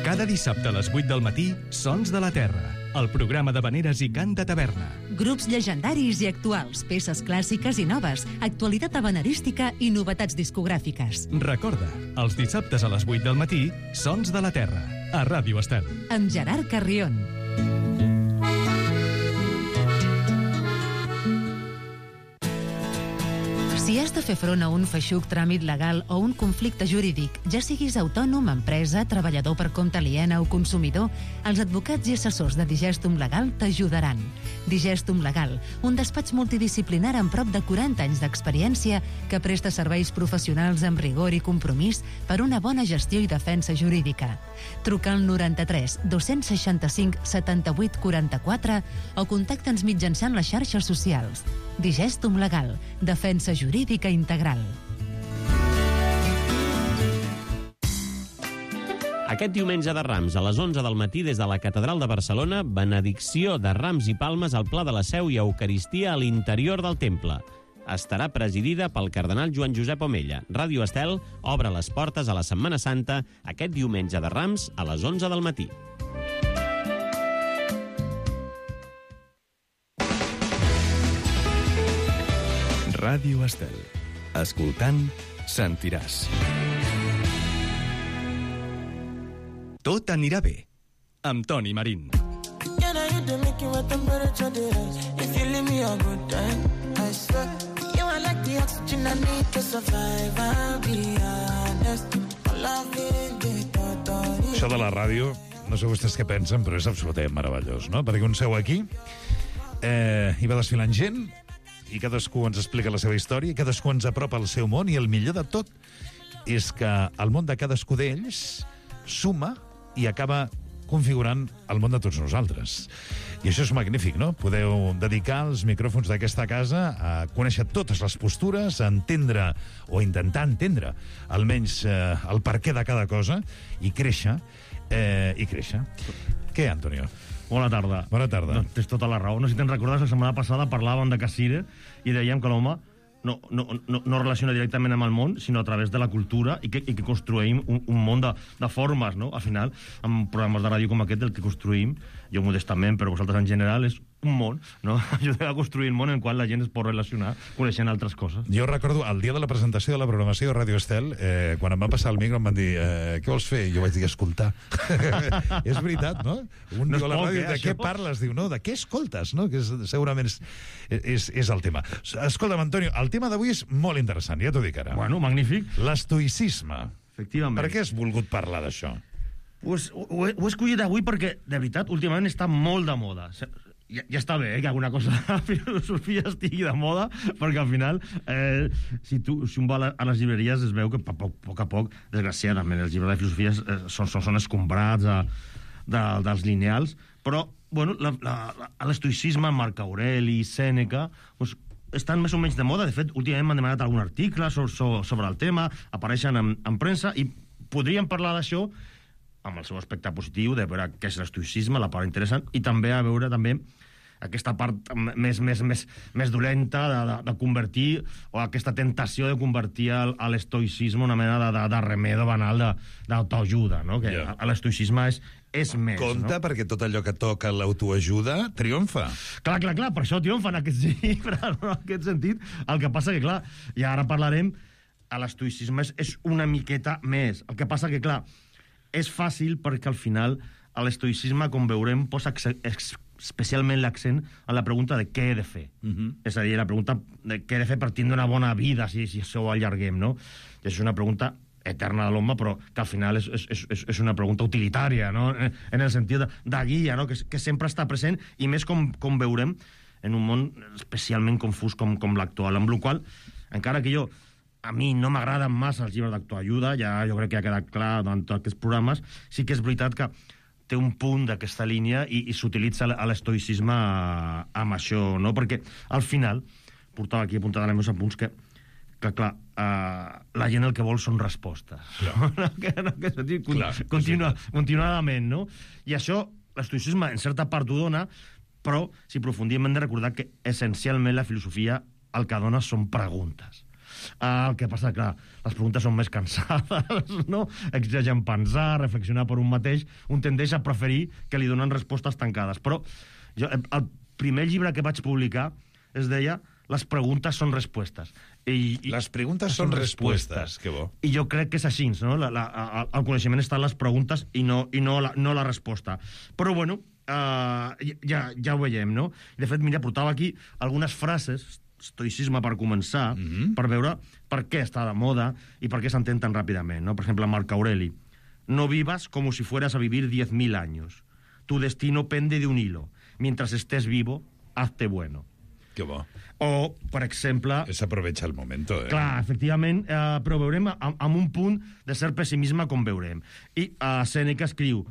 Cada dissabte a les vuit del matí, Sons de la Terra, el programa d'havaneres i cant de taverna. Grups llegendaris i actuals, peces clàssiques i noves, actualitat havanerística i novetats discogràfiques. Recorda, els dissabtes a les vuit del matí, Sons de la Terra, a Ràdio Estel. Amb Gerard Carrion. Si has de fer front a un feixuc tràmit legal o un conflicte jurídic, ja siguis autònom, empresa, treballador per compte aliena o consumidor, els advocats i assessors de Digestum Legal t'ajudaran. Digestum Legal, un despatx multidisciplinar amb prop de quaranta anys d'experiència que presta serveis professionals amb rigor i compromís per una bona gestió i defensa jurídica. Truca al noranta-tres dos-cents seixanta-cinc setanta-vuit quaranta-quatre o contacta'ns mitjançant les xarxes socials. Digestum Legal, defensa jurídica integral. Aquest diumenge de Rams, a les onze del matí, des de la Catedral de Barcelona, benedicció de rams i palmes al Pla de la Seu i Eucaristia a l'interior del temple. Estarà presidida pel cardenal Joan Josep Omella. Ràdio Estel obre les portes a la Setmana Santa aquest diumenge de Rams a les onze del matí. Ràdio Estel. Escoltant, sentiràs. Tot anirà bé, amb Toni Marín. Això de la ràdio, no sé vostès què pensen, però és absolutament meravellós, no? Perquè un seu aquí, eh, hi va desfilant gent, i cadascú ens explica la seva història, i cadascú ens apropa al seu món, i el millor de tot és que el món de cadascú d'ells suma i acaba configurant el món de tots nosaltres. I això és magnífic, no? Podeu dedicar els micròfons d'aquesta casa a conèixer totes les postures, a entendre o intentar entendre almenys eh, el perquè de cada cosa i créixer, eh, i créixer. Què, Antonio? Bona tarda. Bona tarda. No, tens tota la raó. No sé si te'n recordes, la setmana passada parlàvem de Cassire i dèiem que l'home no, no, no, no relaciona directament amb el món, sinó a través de la cultura i que, i que construïm un, un món de, de formes, no? Al final, amb programes de ràdio com aquest, el que construïm, jo modestament, però vosaltres en general, és un món, no? Ajudem a construir un món en qual la gent es pot relacionar coneixent altres coses. Jo recordo, el dia de la presentació de la programació de Ràdio Estel, eh, quan em van passar el micro em van dir, eh, què vols fer? I jo vaig dir, escoltar. És veritat, no? Un no diu a la ràdio, eh, de què això? Parles? Diu, no, de què escoltes? No? Que és, segurament és, és, és el tema. Escolta'm, Antonio, el tema d'avui és molt interessant, ja t'ho dic ara. Bueno, magnífic. L'estoïcisme. Efectivament. Per què has volgut parlar d'això? Pues, ho, ho he escollit avui perquè, de veritat, últimament està molt de moda. Ja, ja està bé, eh, que alguna cosa de la filosofia estigui de moda, perquè al final, eh, si, tu, si un va a les llibreries es veu que a poc, poc a poc, desgraciadament, els llibres de filosofia eh, són, són, són escombrats a, de, dels lineals, però, bueno, l'estoïcisme, Marc Aureli, Sèneca, doncs, estan més o menys de moda. De fet, últimament m'han demanat algun article sobre, sobre el tema, apareixen en, en premsa, i podríem parlar d'això amb el seu aspecte positiu, de veure què és l'estoïcisme, la part interessant, i també a veure també aquesta part més, més, més, més dolenta de, de, de convertir, o aquesta tentació de convertir l'estoïcisme una mena de, de, de remedo banal d'autoajuda, no? Que yeah. L'estoïcisme és, és més, compte, no? Perquè tot allò que toca l'autoajuda triomfa. Clar, clar, clar, per això triomfa en aquest llibre, no? En aquest sentit. El que passa que, clar, i ara parlarem, l'estoïcisme és, és una miqueta més. El que passa que, clar, és fàcil perquè al final l'estoïcisme, com veurem, posa ex ex especialment l'accent en la pregunta de què he de fer. Uh-huh. És a dir, la pregunta de què he de fer per tindre una bona vida, si, si això ho allarguem, no? I això és una pregunta eterna de l'home, però que al final és, és, és, és una pregunta utilitària, no? En el sentit de, de guia, no? Que, que sempre està present, i més com, com veurem en un món especialment confús com, com l'actual, amb la qual, encara que jo a mi no m'agraden massa els llibres d'autoajuda, ja jo crec que ha quedat clar durant tots aquests programes, sí que és veritat que té un punt d'aquesta línia i, i s'utilitza l'estoïcisme amb això, no? Perquè al final, portava aquí apuntat als meus apunts que, que clar, uh, la gent el que vol són respostes. No? No, que, no, que dir, clar, continua, continuadament, no? I això, l'estoïcisme en certa part ho dona, però si aprofundim hem de recordar que essencialment la filosofia el que dona són preguntes. Uh, el que passa, clar, les preguntes són més cansades, no? Exigeixen pensar, reflexionar per un mateix, un tendeix a preferir que li donen respostes tancades. Però jo, el primer llibre que vaig publicar es deia Les preguntes són respostes. I, i les preguntes són respostes, que bo. I jo crec que és així, no? La, la, el coneixement està en les preguntes i no, i no, la, no la resposta. Però, bueno, uh, ja, ja ho veiem, no? De fet, mira, portava aquí algunes frases estoicisme per començar, mm-hmm. per veure per què està de moda i per què s'entén tan ràpidament, no? Per exemple, Marc Aureli. No vivas como si fueras a vivir diez mil años. Tu destino pende de un hilo. Mientras estés vivo, hazte bueno. Que bo. O, per exemple... Es aprovecha el momento, eh? Clar, efectivament, eh, però veurem amb, amb un punt de cert pessimisme com veurem. I eh, Sèneca escriu: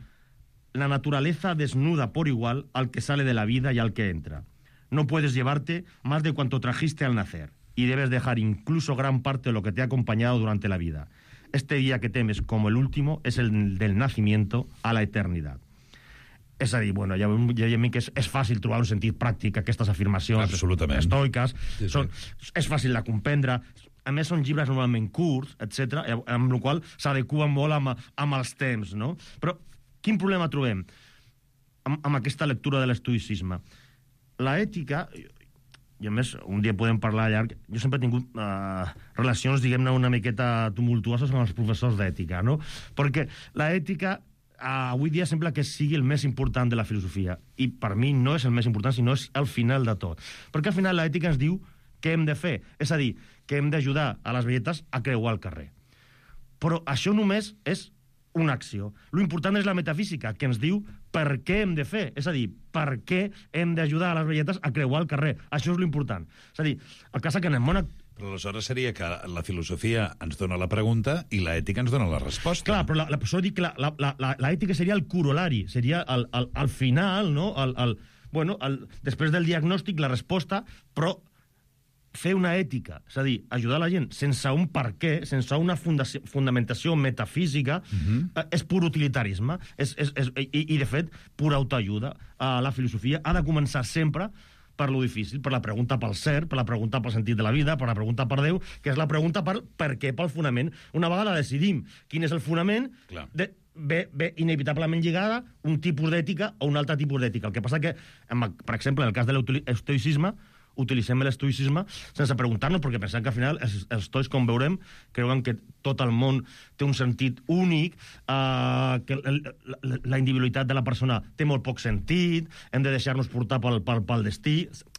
la naturaleza desnuda por igual al que sale de la vida y al que entra. No puedes llevarte más de cuanto trajiste al nacer, y debes dejar incluso gran parte de lo que te ha acompañado durante la vida. Este día que temes como el último es el del nacimiento a la eternidad. És a dir, bueno, ja veiem que és, és fàcil trobar un sentit pràctic a aquestes afirmacions estoiques, sí, sí. Són, és fàcil de comprendre, a més són llibres normalment curts, etcètera, amb el qual s'adequen molt amb, amb els temps, no? Però quin problema trobem amb, amb aquesta lectura de l'estoïcisme? La ètica, i a més un dia podem parlar llarg, jo sempre he tingut uh, relacions, diguem-ne, una miqueta tumultuoses amb els professors d'ètica, no? Perquè la ètica uh, avui dia sembla que sigui el més important de la filosofia, i per mi no és el més important, sinó és el final de tot. Perquè al final l'ètica ens diu què hem de fer, és a dir, que hem d'ajudar a les velletes a creuar el carrer. Però això només és una acció. Lo important és la metafísica, que ens diu per què hem de fer. És a dir, per què hem d'ajudar a les velletes a creuar el carrer. Això és lo important. És a dir, el cas que en el món... Però aleshores seria que la filosofia ens dona la pregunta i l'ètica ens dona la resposta. Clar, però la, la, això dic que l'ètica seria el corolari, seria el, el, el final, no? El, el, bueno, el, després del diagnòstic, la resposta, però fer una ètica, és a dir, ajudar la gent sense un per què, sense una fundamentació metafísica, uh-huh. és pur utilitarisme, és, és, és, i, i de fet, pura autoajuda. Uh, la filosofia ha de començar sempre per lo difícil, per la pregunta pel cert, per la pregunta pel sentit de la vida, per la pregunta per Déu, que és la pregunta per per què, pel fonament. Una vegada decidim quin és el fonament, de, ve, ve inevitablement lligada un tipus d'ètica o un altre tipus d'ètica. El que passa que, per exemple, en el cas de l'estoïcisme, utilitzem l'estoïcisme sense preguntar-nos, perquè pensem que al final els, els estoics, com veurem, creuen que tot el món té un sentit únic, eh, que el, la, la individualitat de la persona té molt poc sentit, hem de deixar-nos portar pel, pel, pel destí.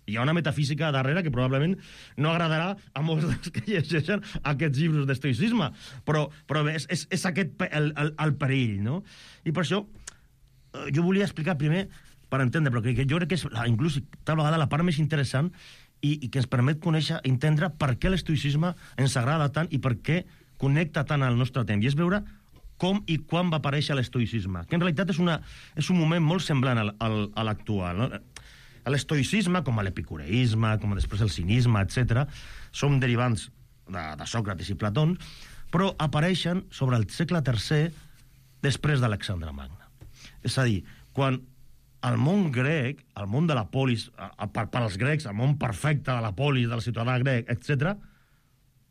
Hi ha una metafísica darrere que probablement no agradarà a molts dels que llegeixen aquests llibres d'estoïcisme, però, però és, és, és aquest el, el, el perill, no? I per això jo volia explicar primer per entendre, però que jo crec que és la, inclús tal vegada la part més interessant i, i que ens permet conèixer, entendre per què l'estoïcisme ens agrada tant i per què connecta tant al nostre temps. I és veure com i quan va aparèixer l'estoïcisme, que en realitat és, una, és un moment molt semblant al, al, a l'actual. No? L'estoïcisme, com a l'epicureisme, com després el cinisme, etcètera, són derivants de, de Sòcrates i Plató, però apareixen sobre el segle tercer després d'Alexandre Magne. És a dir, quan el món grec, el món de la polis, per, per als grecs, el món perfecte de la polis, del ciutadà grec, etcètera,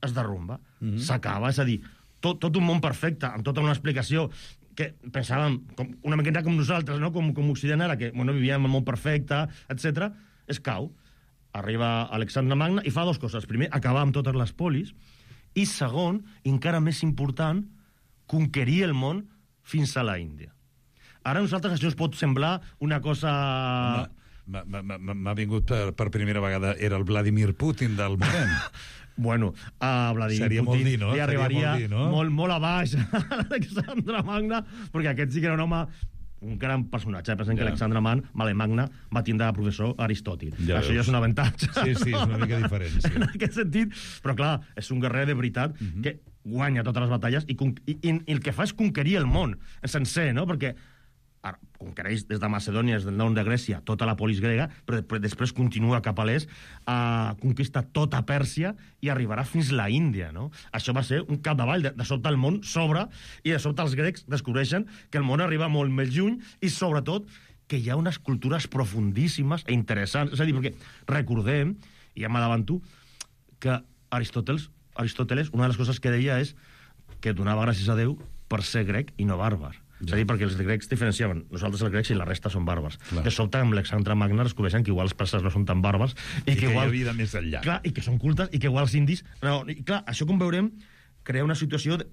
es derrumba, mm-hmm. s'acaba. És a dir, tot, tot un món perfecte, amb tota una explicació que pensàvem com, una miqueta com nosaltres, no? com, com Occident ara, que bueno, vivíem en el món perfecte, etcètera, es cau. Arriba Alexandre Magne i fa dues coses. Primer, acabar amb totes les polis, I segon, encara més important, conquerir el món fins a la Índia. Ara a nosaltres això ens pot semblar una cosa... M'ha vingut per, per primera vegada, era el Vladimir Putin del moment. Bueno, a Vladimir Seria Putin molt dir, no? li arribaria molt, dir, no? molt, molt a baix a Alexandre Magna, perquè aquest sí que era un home, un gran personatge. Pensen yeah. que Alexandre Magna va tindre de professor Aristòtil. Ja Això veus. Ja és un avantatge. Sí, sí, és una mica diferent. Sí. En aquest sentit, però clar, és un guerrer de veritat uh -huh. que guanya totes les batalles i, i, i, i el que fa és conquerir el món sencer, no? Perquè ara, conquereix des de Macedònia, des del nord de Grècia, tota la polis grega, però després continua cap a l'est, a conquista tota Pèrsia i arribarà fins a la Índia, no? Això va ser un capdavall. De, de sobte el món s'obre i de sobte els grecs descobreixen que el món arriba molt més lluny i, sobretot, que hi ha unes cultures profundíssimes e interessants. És a dir, perquè recordem, i ja m'adavanto, que Aristòteles, Aristòteles, una de les coses que deia és que donava gràcies a Déu per ser grec i no bàrbar. És a dir, perquè els grecs diferenciaven nosaltres els grecs i la resta són bàrbars. Clar. De sobte amb Alexandre Magna descobreixen que igual els perses no són tan bàrbars i, I que, que igual, hi ha vida més enllà. Clar, i que són cultes i que igual els indis... No, i clar, això com veurem crea una situació de,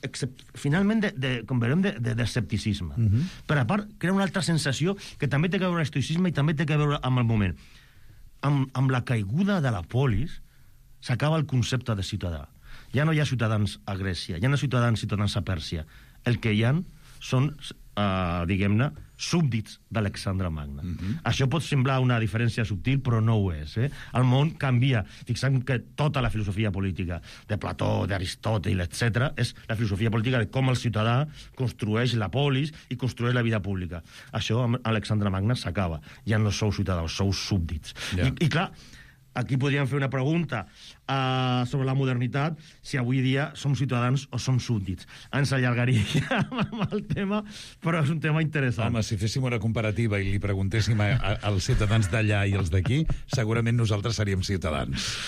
except, finalment de, de, com veurem de, de, d'escepticisme. Uh -huh. Però a part crea una altra sensació que també té que veure amb l'estoïcisme i també té que veure amb el moment. Amb, amb la caiguda de la polis s'acaba el concepte de ciutadà. Ja no hi ha ciutadans a Grècia, ja no hi ha ciutadans ciutadans a Pèrsia. El que hi ha són, uh, diguem-ne, súbdits d'Alexandre Magna. Uh -huh. Això pot semblar una diferència subtil, però no ho és. Eh? El món canvia. Fixem que tota la filosofia política de Plató, d'Aristòtil, etcètera, és la filosofia política de com el ciutadà construeix la polis i construeix la vida pública. Això amb Alexandre Magna s'acaba. Ja no sou ciutadans, sou súbdits. Yeah. I, I clar, aquí podríem fer una pregunta uh, sobre la modernitat, si avui dia som ciutadans o som súbdits. Ens allargaria amb el tema, però és un tema interessant. Home, si féssim una comparativa i li preguntéssim a, a, als ciutadans d'allà i els d'aquí, segurament nosaltres seríem ciutadans.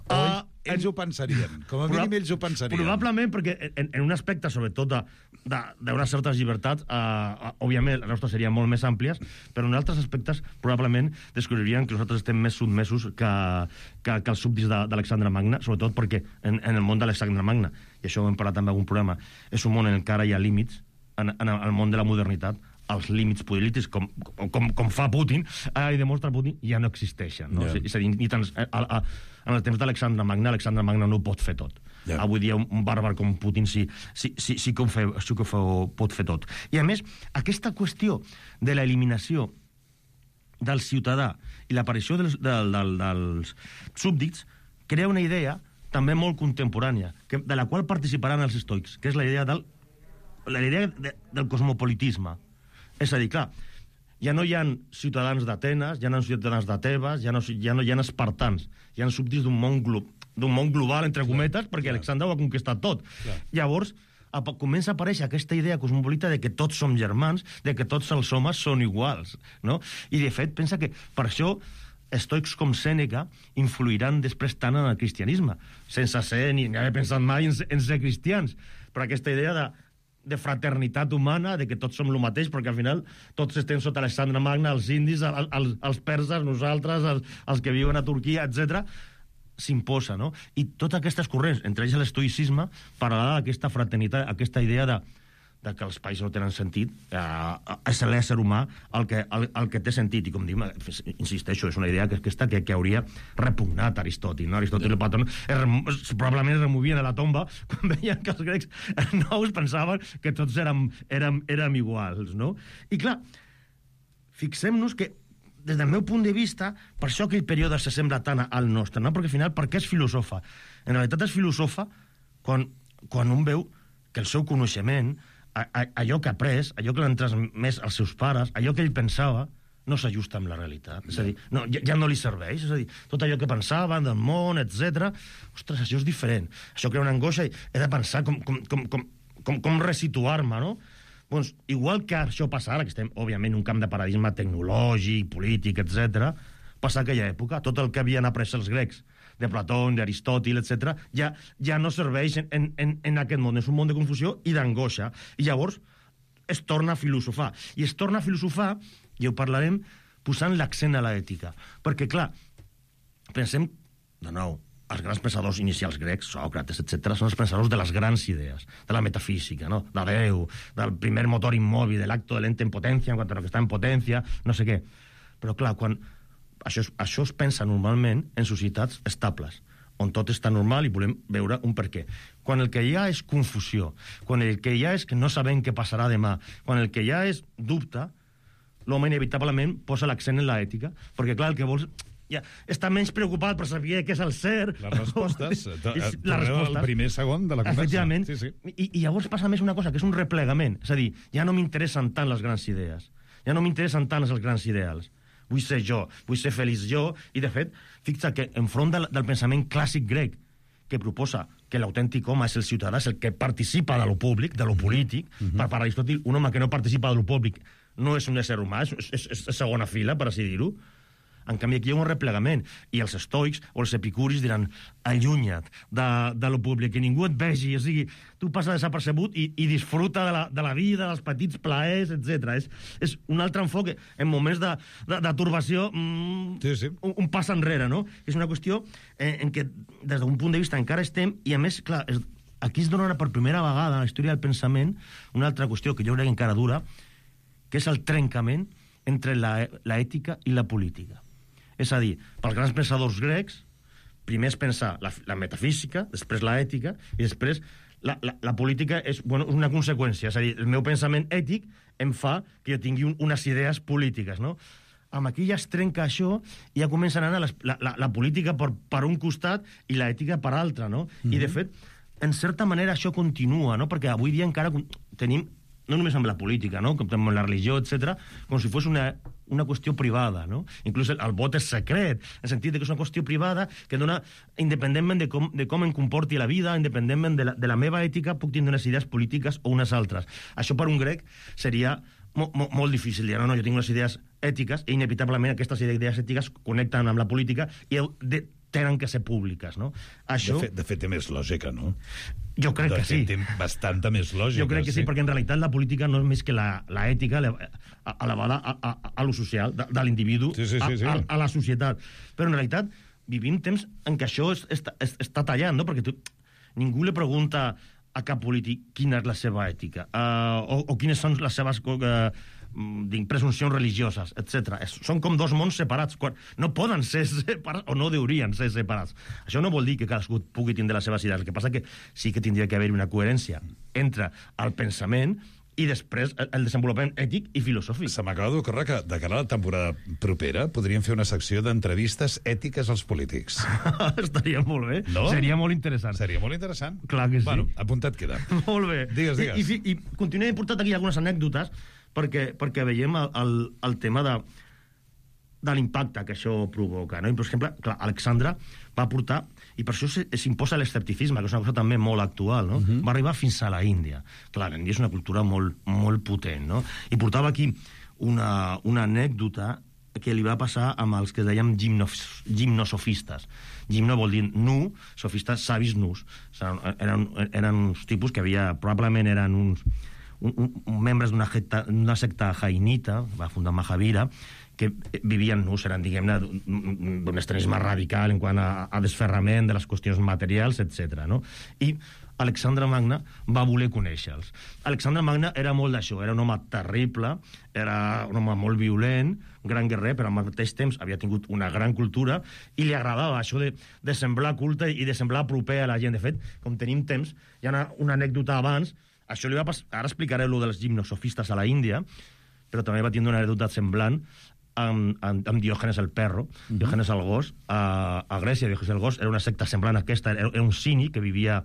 Oi? Uh, ells ho pensarien. Com a mínim ells ho pensarien. Probablement, perquè en, en un aspecte, sobretot, d'unes certes llibertats, uh, òbviament, les nostres serien molt més àmplies, però en altres aspectes, probablement, descobririen que nosaltres estem més sotmesos que, que, que els súbdits d'Alexandre Magna, sobretot perquè en, en el món d'Alexandre Magna, i això ho hem parlat també en algun programa, és un món en què ara hi ha límits, en, en el món de la modernitat, els límits polítics, com, com, com fa Putin, eh, i demostra Putin, ja no existeixen. No? Yeah. És a dir, ni tan, a, a, en el temps d'Alexandre Magna, Alexandre Magna no ho pot fer tot. Yeah. Avui dia un, un bàrbar com Putin sí, sí, sí, sí que, ho, fe, sí que ho, fe, ho pot fer tot. I a més, aquesta qüestió de l'eliminació del ciutadà i l'aparició dels, del, del, dels súbdits crea una idea també molt contemporània, que, de la qual participaran els estoics, que és la idea del, la idea de, del cosmopolitisme. És a dir, clar, ja no hi ha ciutadans d'Atenes, ja no hi ha ciutadans de Tebes, ja no, ja no hi ha espartans, hi ha súbdits d'un món, glo d'un món global, entre cometes, perquè clar. Alexandre ho ha conquistat tot. Clar. Llavors, a, comença a aparèixer aquesta idea cosmopolita de que tots som germans, de que tots els homes són iguals, no? I, de fet, pensa que per això estoics com Sèneca influiran després tant en el cristianisme, sense ser ni haver pensat mai en, en ser cristians, però aquesta idea de de fraternitat humana, de que tots som el mateix, perquè al final tots estem sota Alexandre Magna, els indis, els, els, els perses, nosaltres, els, els que viuen a Turquia, etcètera, s'imposa, no? I totes aquestes corrents, entre ells l'estoïcisme, parlarà d'aquesta fraternitat, aquesta idea de, de que els països no tenen sentit, eh, és l'ésser humà el que, el, el que té sentit, i com dic, insisteixo, és una idea que, aquesta que, que hauria repugnat Aristòtil, no? Aristòtil i Plató es, probablement es removien a la tomba quan veien que els grecs nous pensaven que tots érem, érem, érem iguals, no? I clar, fixem-nos que des del meu punt de vista, per això aquell període s'assembla tant al nostre, no? Perquè al final, per què és filosofa? En realitat és filosofa quan, quan un veu que el seu coneixement, allò que ha après, allò que l'han transmès als seus pares, allò que ell pensava, no s'ajusta amb la realitat. És a dir, no, ja, ja no li serveix. És a dir, tot allò que pensaven del món, etcètera, ostres, això és diferent. Això crea una angoixa i he de pensar com, com, com, com, com, com resituar-me, no? Doncs, igual que això passa ara, que estem, òbviament, en un camp de paradigma tecnològic, polític, etcètera, passa aquella època, tot el que havien après els grecs, de Plató, d'Aristòtil, etcètera, ja, ja no serveix en, en, en aquest món. És un món de confusió i d'angoixa. I llavors es torna a filosofar. I es torna a filosofar, i ho parlarem, posant l'accent a l'ètica. Perquè, clar, pensem, de nou, els grans pensadors inicials grecs, Sòcrates, etcètera, són els pensadors de les grans idees, de la metafísica, no? De Déu, del primer motor immòbil, de l'acto del ente en potència, en quant a lo que està en potència, no sé què. Però, clar, quan això, es, això es pensa normalment en societats estables, on tot està normal i volem veure un per què. Quan el que hi ha és confusió, quan el que hi ha és que no sabem què passarà demà, quan el que hi ha és dubte, l'home inevitablement posa l'accent en l'ètica, perquè, clar, el que vols... Ja, està menys preocupat per saber què és el ser. Les respostes. Les Torneu al primer segon de la conversa. Efectivament. Sí, sí. I, I llavors passa més una cosa, que és un replegament. És a dir, ja no m'interessen tant les grans idees. Ja no m'interessen tant els grans ideals. Vull ser jo, vull ser feliç jo. I, de fet, fixa que enfront del, del pensament clàssic grec, que proposa que l'autèntic home és el ciutadà, és el que participa de lo públic, de lo polític. Uh-huh. Per, per Aristòtil, un home que no participa de lo públic no és un ésser humà, és, és, és segona fila, per així dir-ho. En canvi, aquí hi ha un replegament. I els estoics o els epicuris diran allunya't de, de lo públic, que ningú et vegi. O sigui, tu passa desapercebut i, i disfruta de la, de la vida, dels petits plaers, etcètera. És, és un altre enfoc en moments de, de, de turbació, mmm, sí, sí. Un, un pas enrere, no? És una qüestió en, en què, des d'un punt de vista, encara estem, i a més, clar, és, aquí es dona per primera vegada en la història del pensament una altra qüestió que jo crec que encara dura, que és el trencament entre l'ètica i la política. És a dir, pels grans pensadors grecs, primer és pensar la, la metafísica, després l'ètica, i després la, la, la política és bueno, una conseqüència. És a dir, el meu pensament ètic em fa que jo tingui un, unes idees polítiques, no? Amb aquí ja es trenca això i ja comença a anar la, la, la política per, per un costat i l'ètica per altre, no? Mm-hmm. I, de fet, en certa manera això continua, no? Perquè avui dia encara tenim, no només amb la política, no? Com amb la religió, etcètera, com si fos una... una qüestió privada, no? Inclús el, el vot és secret, en el sentit que és una qüestió privada que dona, independentment de com, de com em comporti la vida, independentment de la, de la meva ètica, puc tindre unes idees polítiques o unes altres. Això per un grec seria mo, mo, molt difícil. Dir, no, no, jo tinc unes idees ètiques i inevitablement aquestes idees ètiques connecten amb la política i de, tenen que ser públiques, no? Això... De fet, de fet té més lògica, no? Jo crec de que sí. Té bastanta més lògica. Jo crec que sí, sí, perquè en realitat la política no és més que l'ètica elevada a, a, a, a lo social, de, de l'individu sí, sí, sí, sí. a, a, a la societat. Però en realitat vivim temps en què això es, es, es, està tallant, no? Perquè tu, ningú li pregunta a cap polític quina és la seva ètica uh, o, o quines són les seves uh, presuncions religioses, etcètera. Són com dos mons separats. No poden ser separats, o no deurien ser separats. Això no vol dir que cadascú pugui tindre les seves idees. El que passa que sí que tindria que haver una coherència entre el pensament i després el desenvolupament ètic i filosòfic. Se m'acaba d'ocórrer que de cara a la temporada propera podríem fer una secció d'entrevistes ètiques als polítics. Estaria molt bé. No? Seria molt interessant. Seria molt interessant. Clar que sí. Bueno, apuntat queda. Molt bé. Digues, digues. I, i, i continuem portant aquí algunes anècdotes perquè, perquè veiem el, el, el tema de, de l'impacte que això provoca, no? I, per exemple, clar, Alexandre va portar, i per això s'imposa l'escepticisme, que és una cosa també molt actual, no? Uh-huh. Va arribar fins a la Índia. Clar, l'Índia és una cultura molt, molt potent, no? I portava aquí una, una anècdota que li va passar amb els que dèiem gimnos, gimnosofistes. Gimno vol dir nu, sofistes, savis nus. O sigui, eren, eren uns tipus que havia, probablement eren uns Un, un, membres d'una secta, secta jainita, va fundar Mahavira, que vivien nus, eren, diguem-ne, d'un extremisme radical en quant a, a desferrament de les qüestions materials, etcètera. No? I Alexandre Magne va voler conèixer-los. Alexandre Magne era molt d'això, era un home terrible, era un home molt violent, gran guerrer, però al mateix temps havia tingut una gran cultura i li agradava això de, de semblar culte i de semblar proper a la gent. De fet, com tenim temps, hi ha una, una anècdota abans. Això li va passar, ara explicaré allò dels gimnosofistes a la Índia, però també va tindre una anècdota semblant amb, amb, amb Diògenes el perro, uh-huh. Diògenes el gos, a, a Grècia. Diògenes el gos era una secta semblant a aquesta, era, era un cínic que vivia,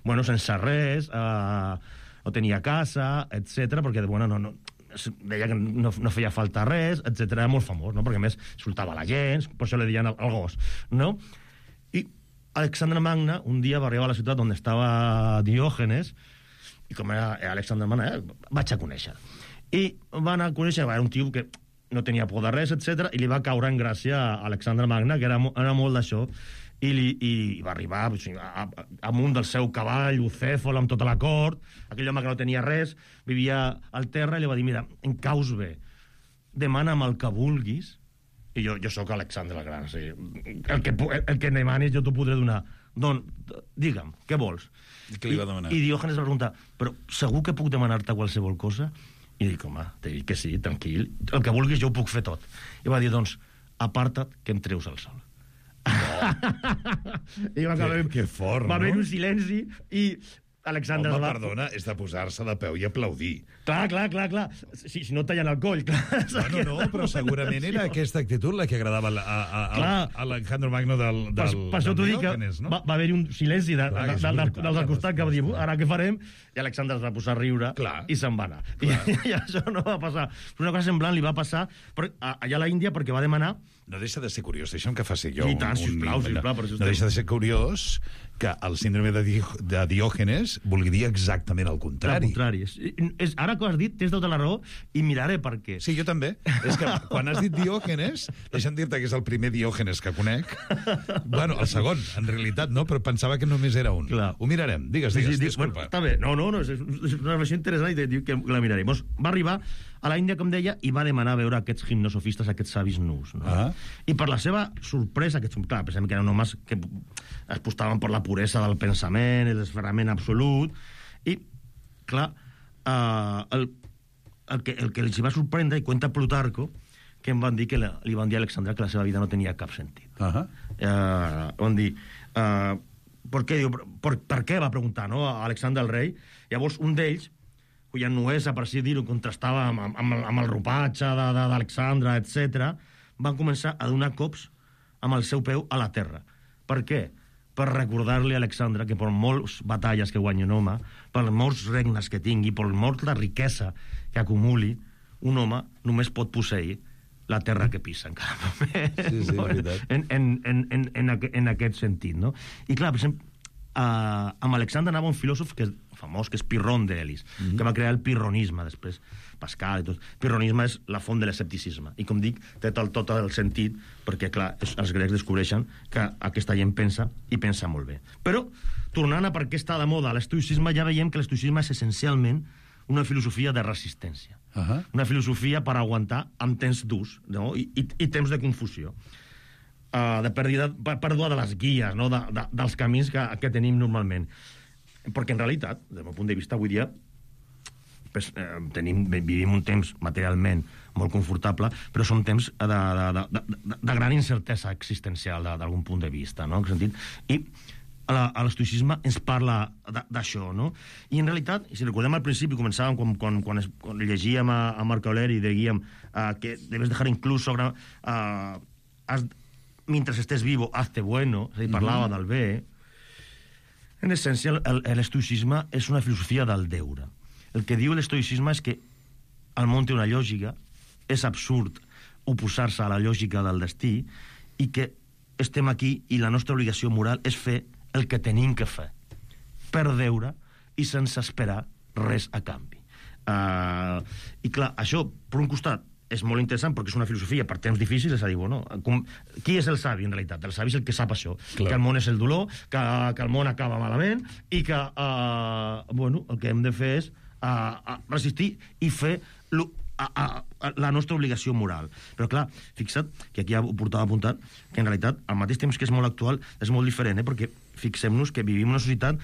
bueno, sense res, uh, no tenia casa, etcètera, perquè, bueno, no, no, deia que no, no feia falta res, etcètera. Era molt famós, no? Perquè a més insultava la gent, per això li deien el, el gos, no? I Alexandre Magne un dia va arribar a la ciutat on estava Diògenes, i com era Alexandre Magne, eh, vaig a conèixer. I va anar a conèixer, era un tio que no tenia por de res, etcètera, i li va caure en gràcia a Alexandre Magne, que era, era molt d'això, i, li, i va arribar a, a, amunt del seu cavall, Ucèfol, amb tota la cort, aquell home que no tenia res, vivia al terra, i li va dir, mira, em caus bé, demana'm el que vulguis, i jo, jo sóc Alexandre el Gran. Sí. El, que, el, el que demanis jo t'ho podré donar. Don, digue'm, què vols? Què li va demanar? I, i Diògenes va preguntar, però segur que puc demanar-te qualsevol cosa? I dic, home, t'he dit que sí, tranquil. El que vulguis jo ho puc fer tot. I va dir, doncs, aparta't que em treus el sol. No. I va acabar... Que, que fort, va no? haver un silenci i Alexandre... Home, va... perdona, és de posar-se de peu i aplaudir. Clar, clar, clar, clar. Si, si no tallen el coll, clar. No, no, no, però segurament era aquesta actitud la que agradava a, a, a, a, a l'Alejandro Magno del, del, per, per això t'ho dic, que no? va, va haver-hi un silenci de, clar, de, de, de, dels del costat que va dir, ara què farem? I Alexandre es va posar a riure clar. I se'n va anar. I, I això no va passar. Una cosa semblant li va passar per, a, allà a la Índia perquè va demanar... No deixa de ser curiós, deixa'm que faci jo I tant, un... sisplau, un sisplau, per això no deixa de ser curiós que el síndrome de, Di de Diògenes vulgui dir exactament el contrari. El contrari. És, és, ara que ho has dit, tens tota la raó i miraré per què. Sí, jo també. És que quan has dit Diògenes, deixa'm dir-te que és el primer Diògenes que conec. Bueno, el segon, en realitat, no? Però pensava que només era un. Clar. Ho mirarem. Digues, digues, sí, sí, disculpa. Bueno, està bé. No, no, no, és, és una versió interessant i dic que la mirarem. Pues va arribar a la Índia, com deia, i va demanar veure aquests gimnosofistes, aquests savis nus. No? Ah. I per la seva sorpresa, aquests, clar, pensem que eren homes que es postaven per la puresa del pensament, el desferrament absolut, i, clar, eh, el, el, que, el que els va sorprendre, i cuenta Plutarco, que em van dir que la, li van dir a Alexandre que la seva vida no tenia cap sentit. Uh -huh. eh, van dir... Eh, per què? Diu, per, per què? Va preguntar, no?, a Alexandre el rei. Llavors, un d'ells, cuya nuesa, per així dir-ho, contrastava amb, amb, amb el ropatge d'Alexandre, etcètera, van començar a donar cops amb el seu peu a la terra. Per què? Per recordar-li a Alexandre que per moltes batalles que guanyi un home, per molts regnes que tingui, per molta riquesa que acumuli, un home només pot posseir la terra que pisa en cada moment. Sí, sí, no? en, en, en, en, en, en aquest sentit, no? I clar, per exemple, uh, amb Alexandre anava un filòsof que és famós, que és Pirron d'Elis, mm -hmm. que va crear el pirronisme després, Pascal i tot. Pirronisme és la font de l'escepticisme, i com dic, té tot, tot el sentit, perquè clar, els grecs descobreixen que aquesta gent pensa, i pensa molt bé. Però, tornant a per què està de moda l'estoïcisme, ja veiem que l'estoïcisme és essencialment una filosofia de resistència. Uh -huh. Una filosofia per aguantar amb temps durs, no? I, i, i temps de confusió. Uh, de pèrdua, pèrdua de les guies, no? de, de, dels camins que, que tenim normalment. Perquè en realitat, des del meu punt de vista, avui dia pues, eh, tenim, vivim un temps materialment molt confortable, però són temps de, de, de, de, de gran incertesa existencial d'algun punt de vista, no? En sentit, i l'estoïcisme ens parla d'això, no? I en realitat, si recordem al principi, començàvem quan, quan, quan, es, quan llegíem a, a Marc Aureli i dèiem uh, que debes dejar incluso uh, has, mientras estés vivo, hazte bueno, és a dir, parlava mm-hmm. del bé. En essència, l'estoïcisme és una filosofia del deure. El que diu l'estoïcisme és que el món té una lògica, és absurd oposar-se a la lògica del destí, i que estem aquí i la nostra obligació moral és fer el que tenim que fer, per deure i sense esperar res a canvi. Uh, I clar, això, per un costat, és molt interessant perquè és una filosofia per temps difícils, és a dir, bueno, com, qui és el savi, en realitat? El savi és el que sap això, clar. Que el món és el dolor, que, que el món acaba malament, i que, uh, bueno, el que hem de fer és uh, resistir i fer lo, a, a, a, la nostra obligació moral. Però clar, fixa't, que aquí ho portava apuntat, que en realitat, al mateix temps que és molt actual, és molt diferent, eh? Perquè fixem-nos que vivim en una societat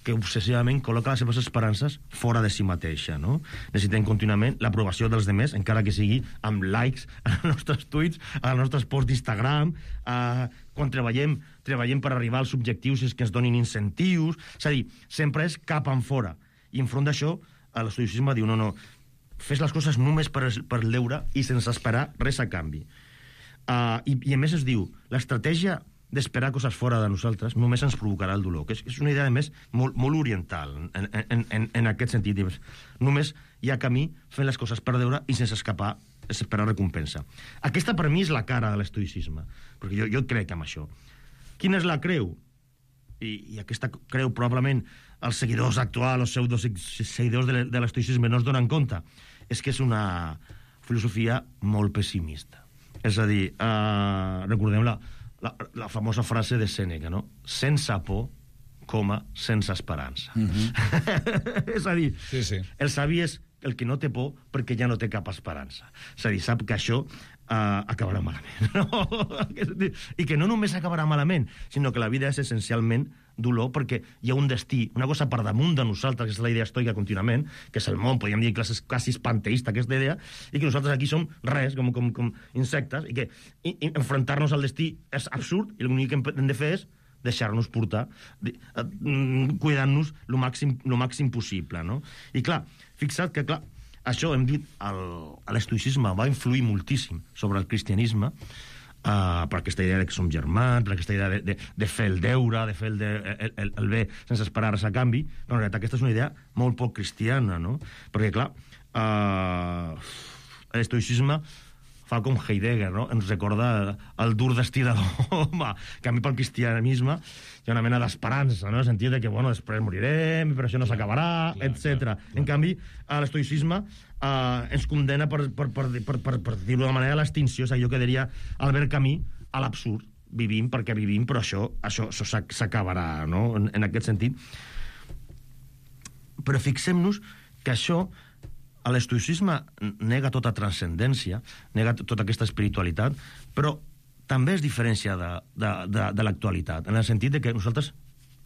que obsessivament col·loca les seves esperances fora de si mateixa, no? Necessitem contínuament l'aprovació dels demés, encara que sigui amb likes als nostres tuits, als nostres posts d'Instagram, eh, quan treballem, treballem per arribar als objectius és que ens donin incentius, és a dir, sempre és cap en fora. I enfront d'això, l'estoïcisme diu, no, no, fes les coses només per, per el deure i sense esperar res a canvi. Uh, i, I a més es diu, l'estratègia d'esperar coses fora de nosaltres només ens provocarà el dolor, que és, és una idea, a més, molt, molt oriental en, en, en, en aquest sentit. Només hi ha camí fent les coses per deure i sense escapar, esperar recompensa. Aquesta, per mi, és la cara de l'estoïcisme, perquè jo, jo crec en això. Quina és la creu? I, i aquesta creu, probablement, els seguidors actuals, els pseudos seguidors de, de l'estoïcisme no es donen compte, és que és una filosofia molt pessimista. És a dir, eh, recordem la La, la famosa frase de Sèneca, no? Sense por, coma, sense esperança. Mm-hmm. És a dir, sí, sí. el savi és el que no té por perquè ja no té cap esperança. És a dir, sap que això uh, acabarà malament. No? I que no només acabarà malament, sinó que la vida és essencialment dolor, perquè hi ha un destí, una cosa per damunt de nosaltres, que és la idea estoica contínuament, que és el món, podríem dir classes quasi panteista, aquesta idea, i que nosaltres aquí som res, com, com, com insectes, i que i, i enfrontar-nos al destí és absurd, i l'únic que hem de fer és deixar-nos portar, cuidant-nos el màxim, lo màxim possible, no? I clar, fixa't que, clar, això hem dit, l'estoïcisme va influir moltíssim sobre el cristianisme, uh, per aquesta idea de que som germans, per aquesta idea de, de, de fer el deure, de fer el, de, el, el, el bé sense esperar res a canvi, però en realitat aquesta és una idea molt poc cristiana, no? Perquè, clar, uh, l'estoïcisme fa com Heidegger, no? Ens recorda el dur destí de l'home. Que a mi pel cristianisme hi ha una mena d'esperança, no? En el sentit de que, bueno, després morirem, però això no s'acabarà, etcètera. En canvi, l'estoïcisme eh, ens condena, per, per, per, per, per, per dir-ho d'una manera, a l'extinció. És allò que diria Albert Camus, a l'absurd. Vivim perquè vivim, però això, això, això s'acabarà, no? En, en aquest sentit. Però fixem-nos que això... L'estoïcisme nega tota transcendència, nega tota aquesta espiritualitat, però també es diferencia de, de, de, de l'actualitat, en el sentit de que nosaltres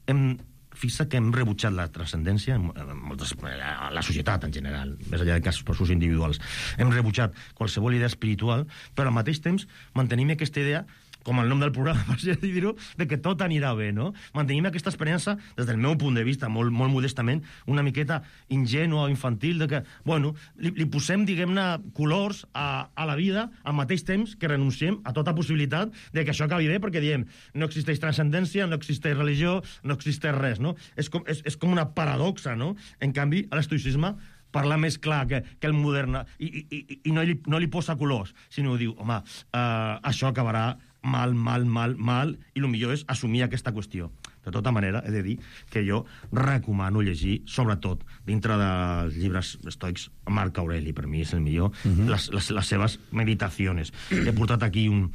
hem, fixa que hem rebutjat la transcendència, en moltes, la societat en general, més enllà de casos personals individuals, hem rebutjat qualsevol idea espiritual, però al mateix temps mantenim aquesta idea, com el nom del programa, per així dir-ho, de que tot anirà bé, no? Mantenim aquesta esperança, des del meu punt de vista, molt, molt modestament, una miqueta ingènua o infantil, de que, bueno, li, li posem, diguem-ne, colors a, a la vida, al mateix temps que renunciem a tota possibilitat de que això acabi bé, perquè diem, no existeix transcendència, no existeix religió, no existeix res, no? És com, és, és com una paradoxa, no? En canvi, l'estoïcisme parla més clar que, que el modern, i, i, i no, li, no li posa colors, sinó diu, home, uh, això acabarà mal, mal, mal, mal, i el millor és assumir aquesta qüestió. De tota manera, he de dir que jo recomano llegir, sobretot, dintre dels llibres estoics, Marc Aureli, per mi és el millor, uh -huh. les, les, les seves meditacions. He portat aquí un,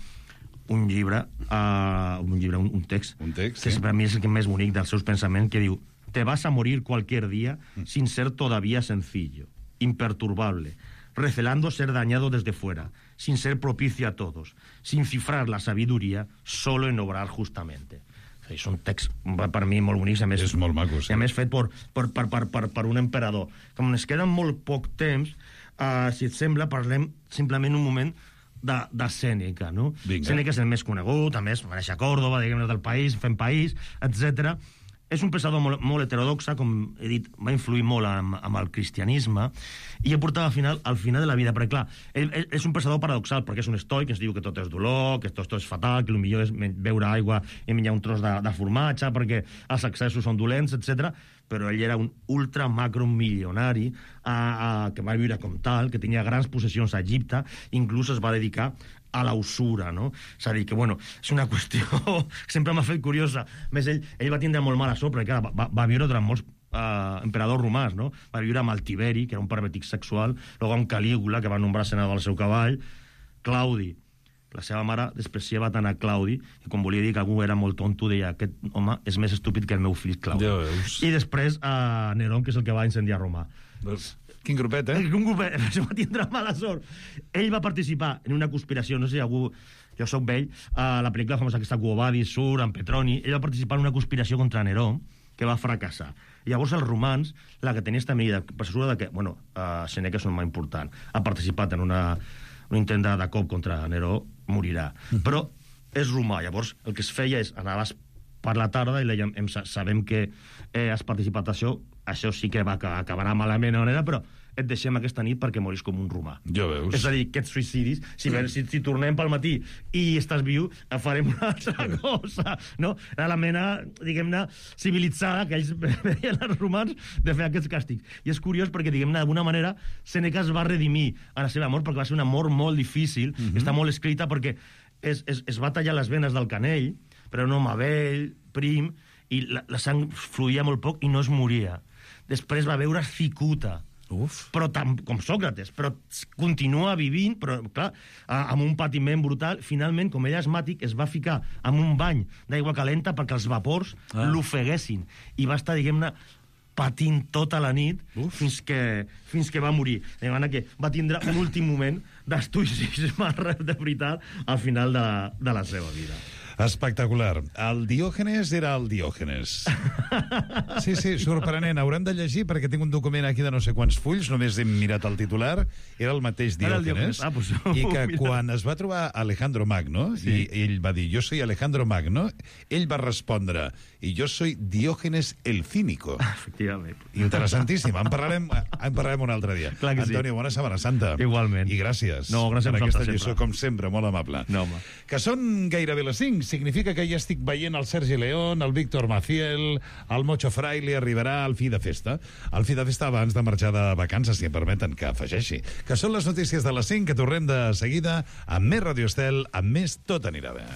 un llibre, uh, un llibre, un, un text, un text que sí. per mi és el que més bonic dels seus pensaments, que diu: te vas a morir cualquier día sin ser todavía sencillo, imperturbable, recelando ser dañado desde fuera, sin ser propicio a todos, sin cifrar la sabiduría, solo en obrar justamente. És un text, per mi, molt bonic, a més, és molt maco, sí. A més fet per, per, per, per, per, per un emperador. Com ens queda molt poc temps, uh, si et sembla, parlem simplement un moment de, de Sèneca, no? Vinga. Sèneca és el més conegut, a més, va néixer a Còrdova, diguem-ne, del país, fent país, etcètera. És un pensador molt, molt heterodoxa, com he dit, va influir molt amb, amb el cristianisme, i ha portat al final, al final de la vida, perquè clar, ell, ell és un pensador paradoxal, perquè és un estoic, que ens diu que tot és dolor, que tot, tot és fatal, que el millor és beure aigua i menjar un tros de, de formatge, perquè els excessos són dolents, etcètera. Però ell era un ultra macro milionari a, a, que va viure com tal, que tenia grans possessions a Egipte, inclús es va dedicar a la usura, no? És a dir, que, bueno, és una qüestió que sempre m'ha fet curiosa. A més, ell, ell va tindre molt mala sort, perquè, clar, va, va viure durant molts uh, emperadors romans, no? Va viure amb el Tiberi, que era un pervertit sexual, després amb Calígula, que va nombrar senador al seu cavall, Claudi. La seva mare despreciava tant a Claudi, que quan volia dir que algú era molt tonto, deia, aquest home és més estúpid que el meu fill Claudi. I després a uh, Nerón, que és el que va incendiar Roma. Doncs, quin grupet, eh? Un grupet, això va tindre mala sort. Ell va participar en una conspiració, no sé si algú... Jo soc vell, a la pel·lícula famosa aquesta Quo Vadis, Sur, en Petroni, ell va participar en una conspiració contra Neró, que va fracassar. I llavors els romans, la que tenia esta medida, per assegura de que, bueno, uh, Sèneca és un home important, ha participat en una, un intent de, de cop contra Neró, morirà. Mm-hmm. Però és romà, llavors el que es feia és anaves per la tarda i dèiem, sabem que eh, has participat a això, això sí que va acabarà malament de manera, però et deixem aquesta nit perquè moris com un romà. Ja veus. És a dir, aquests suïcidis, si, si, si tornem pel matí i estàs viu, farem una altra cosa, no? Era la mena, diguem-ne, civilitzada que ells veien els romans de fer aquests càstigs. I és curiós perquè, diguem-ne, d'alguna manera, Sèneca es va redimir a la seva mort perquè va ser una mort molt difícil, mm-hmm. Està molt escrita perquè es, es, es va tallar les venes del canell, però un home vell, prim, i la, la sang fluïa molt poc i no es moria. Després va veure cicuta, Uf. Però tam, com Sòcrates, però continua vivint, però clar, amb un patiment brutal. Finalment, com ell és asmàtic, es va ficar en un bany d'aigua calenta perquè els vapors ah. l'ofeguessin. I va estar, diguem-ne, patint tota la nit fins que, fins que va morir. De manera que va tindre un últim moment d'estoicisme de veritat al final de la, de la seva vida. Espectacular. El Diògenes era el Diògenes. Sí, sí, sorprenent. Haurem de llegir perquè tinc un document aquí de no sé quants fulls, només hem mirat el titular, era el mateix Diògenes, ah, pues, i que quan es va trobar Alejandro Magno, sí. i ell va dir, jo soy Alejandro Magno, ell va respondre, i jo soy Diògenes el Cínico. Efectivament. Interessantíssim. En parlarem, en parlarem un altre dia. Clar que Antonio, sí. Bona Setmana Santa. Igualment. I gràcies. No, gràcies per a aquesta vosaltres, lliçó, sempre. com sempre, molt amable. No, home. Que són gairebé les cinc. Significa que ja estic veient el Sergi León, el Víctor Maciel, el Mocho Fraile arribarà al fi de festa. Al fi de festa abans de marxar de vacances, si em permeten que afegeixi. Que són les notícies de les cinc, que tornem de seguida amb més Radio Estel, amb més Tot anirà bé.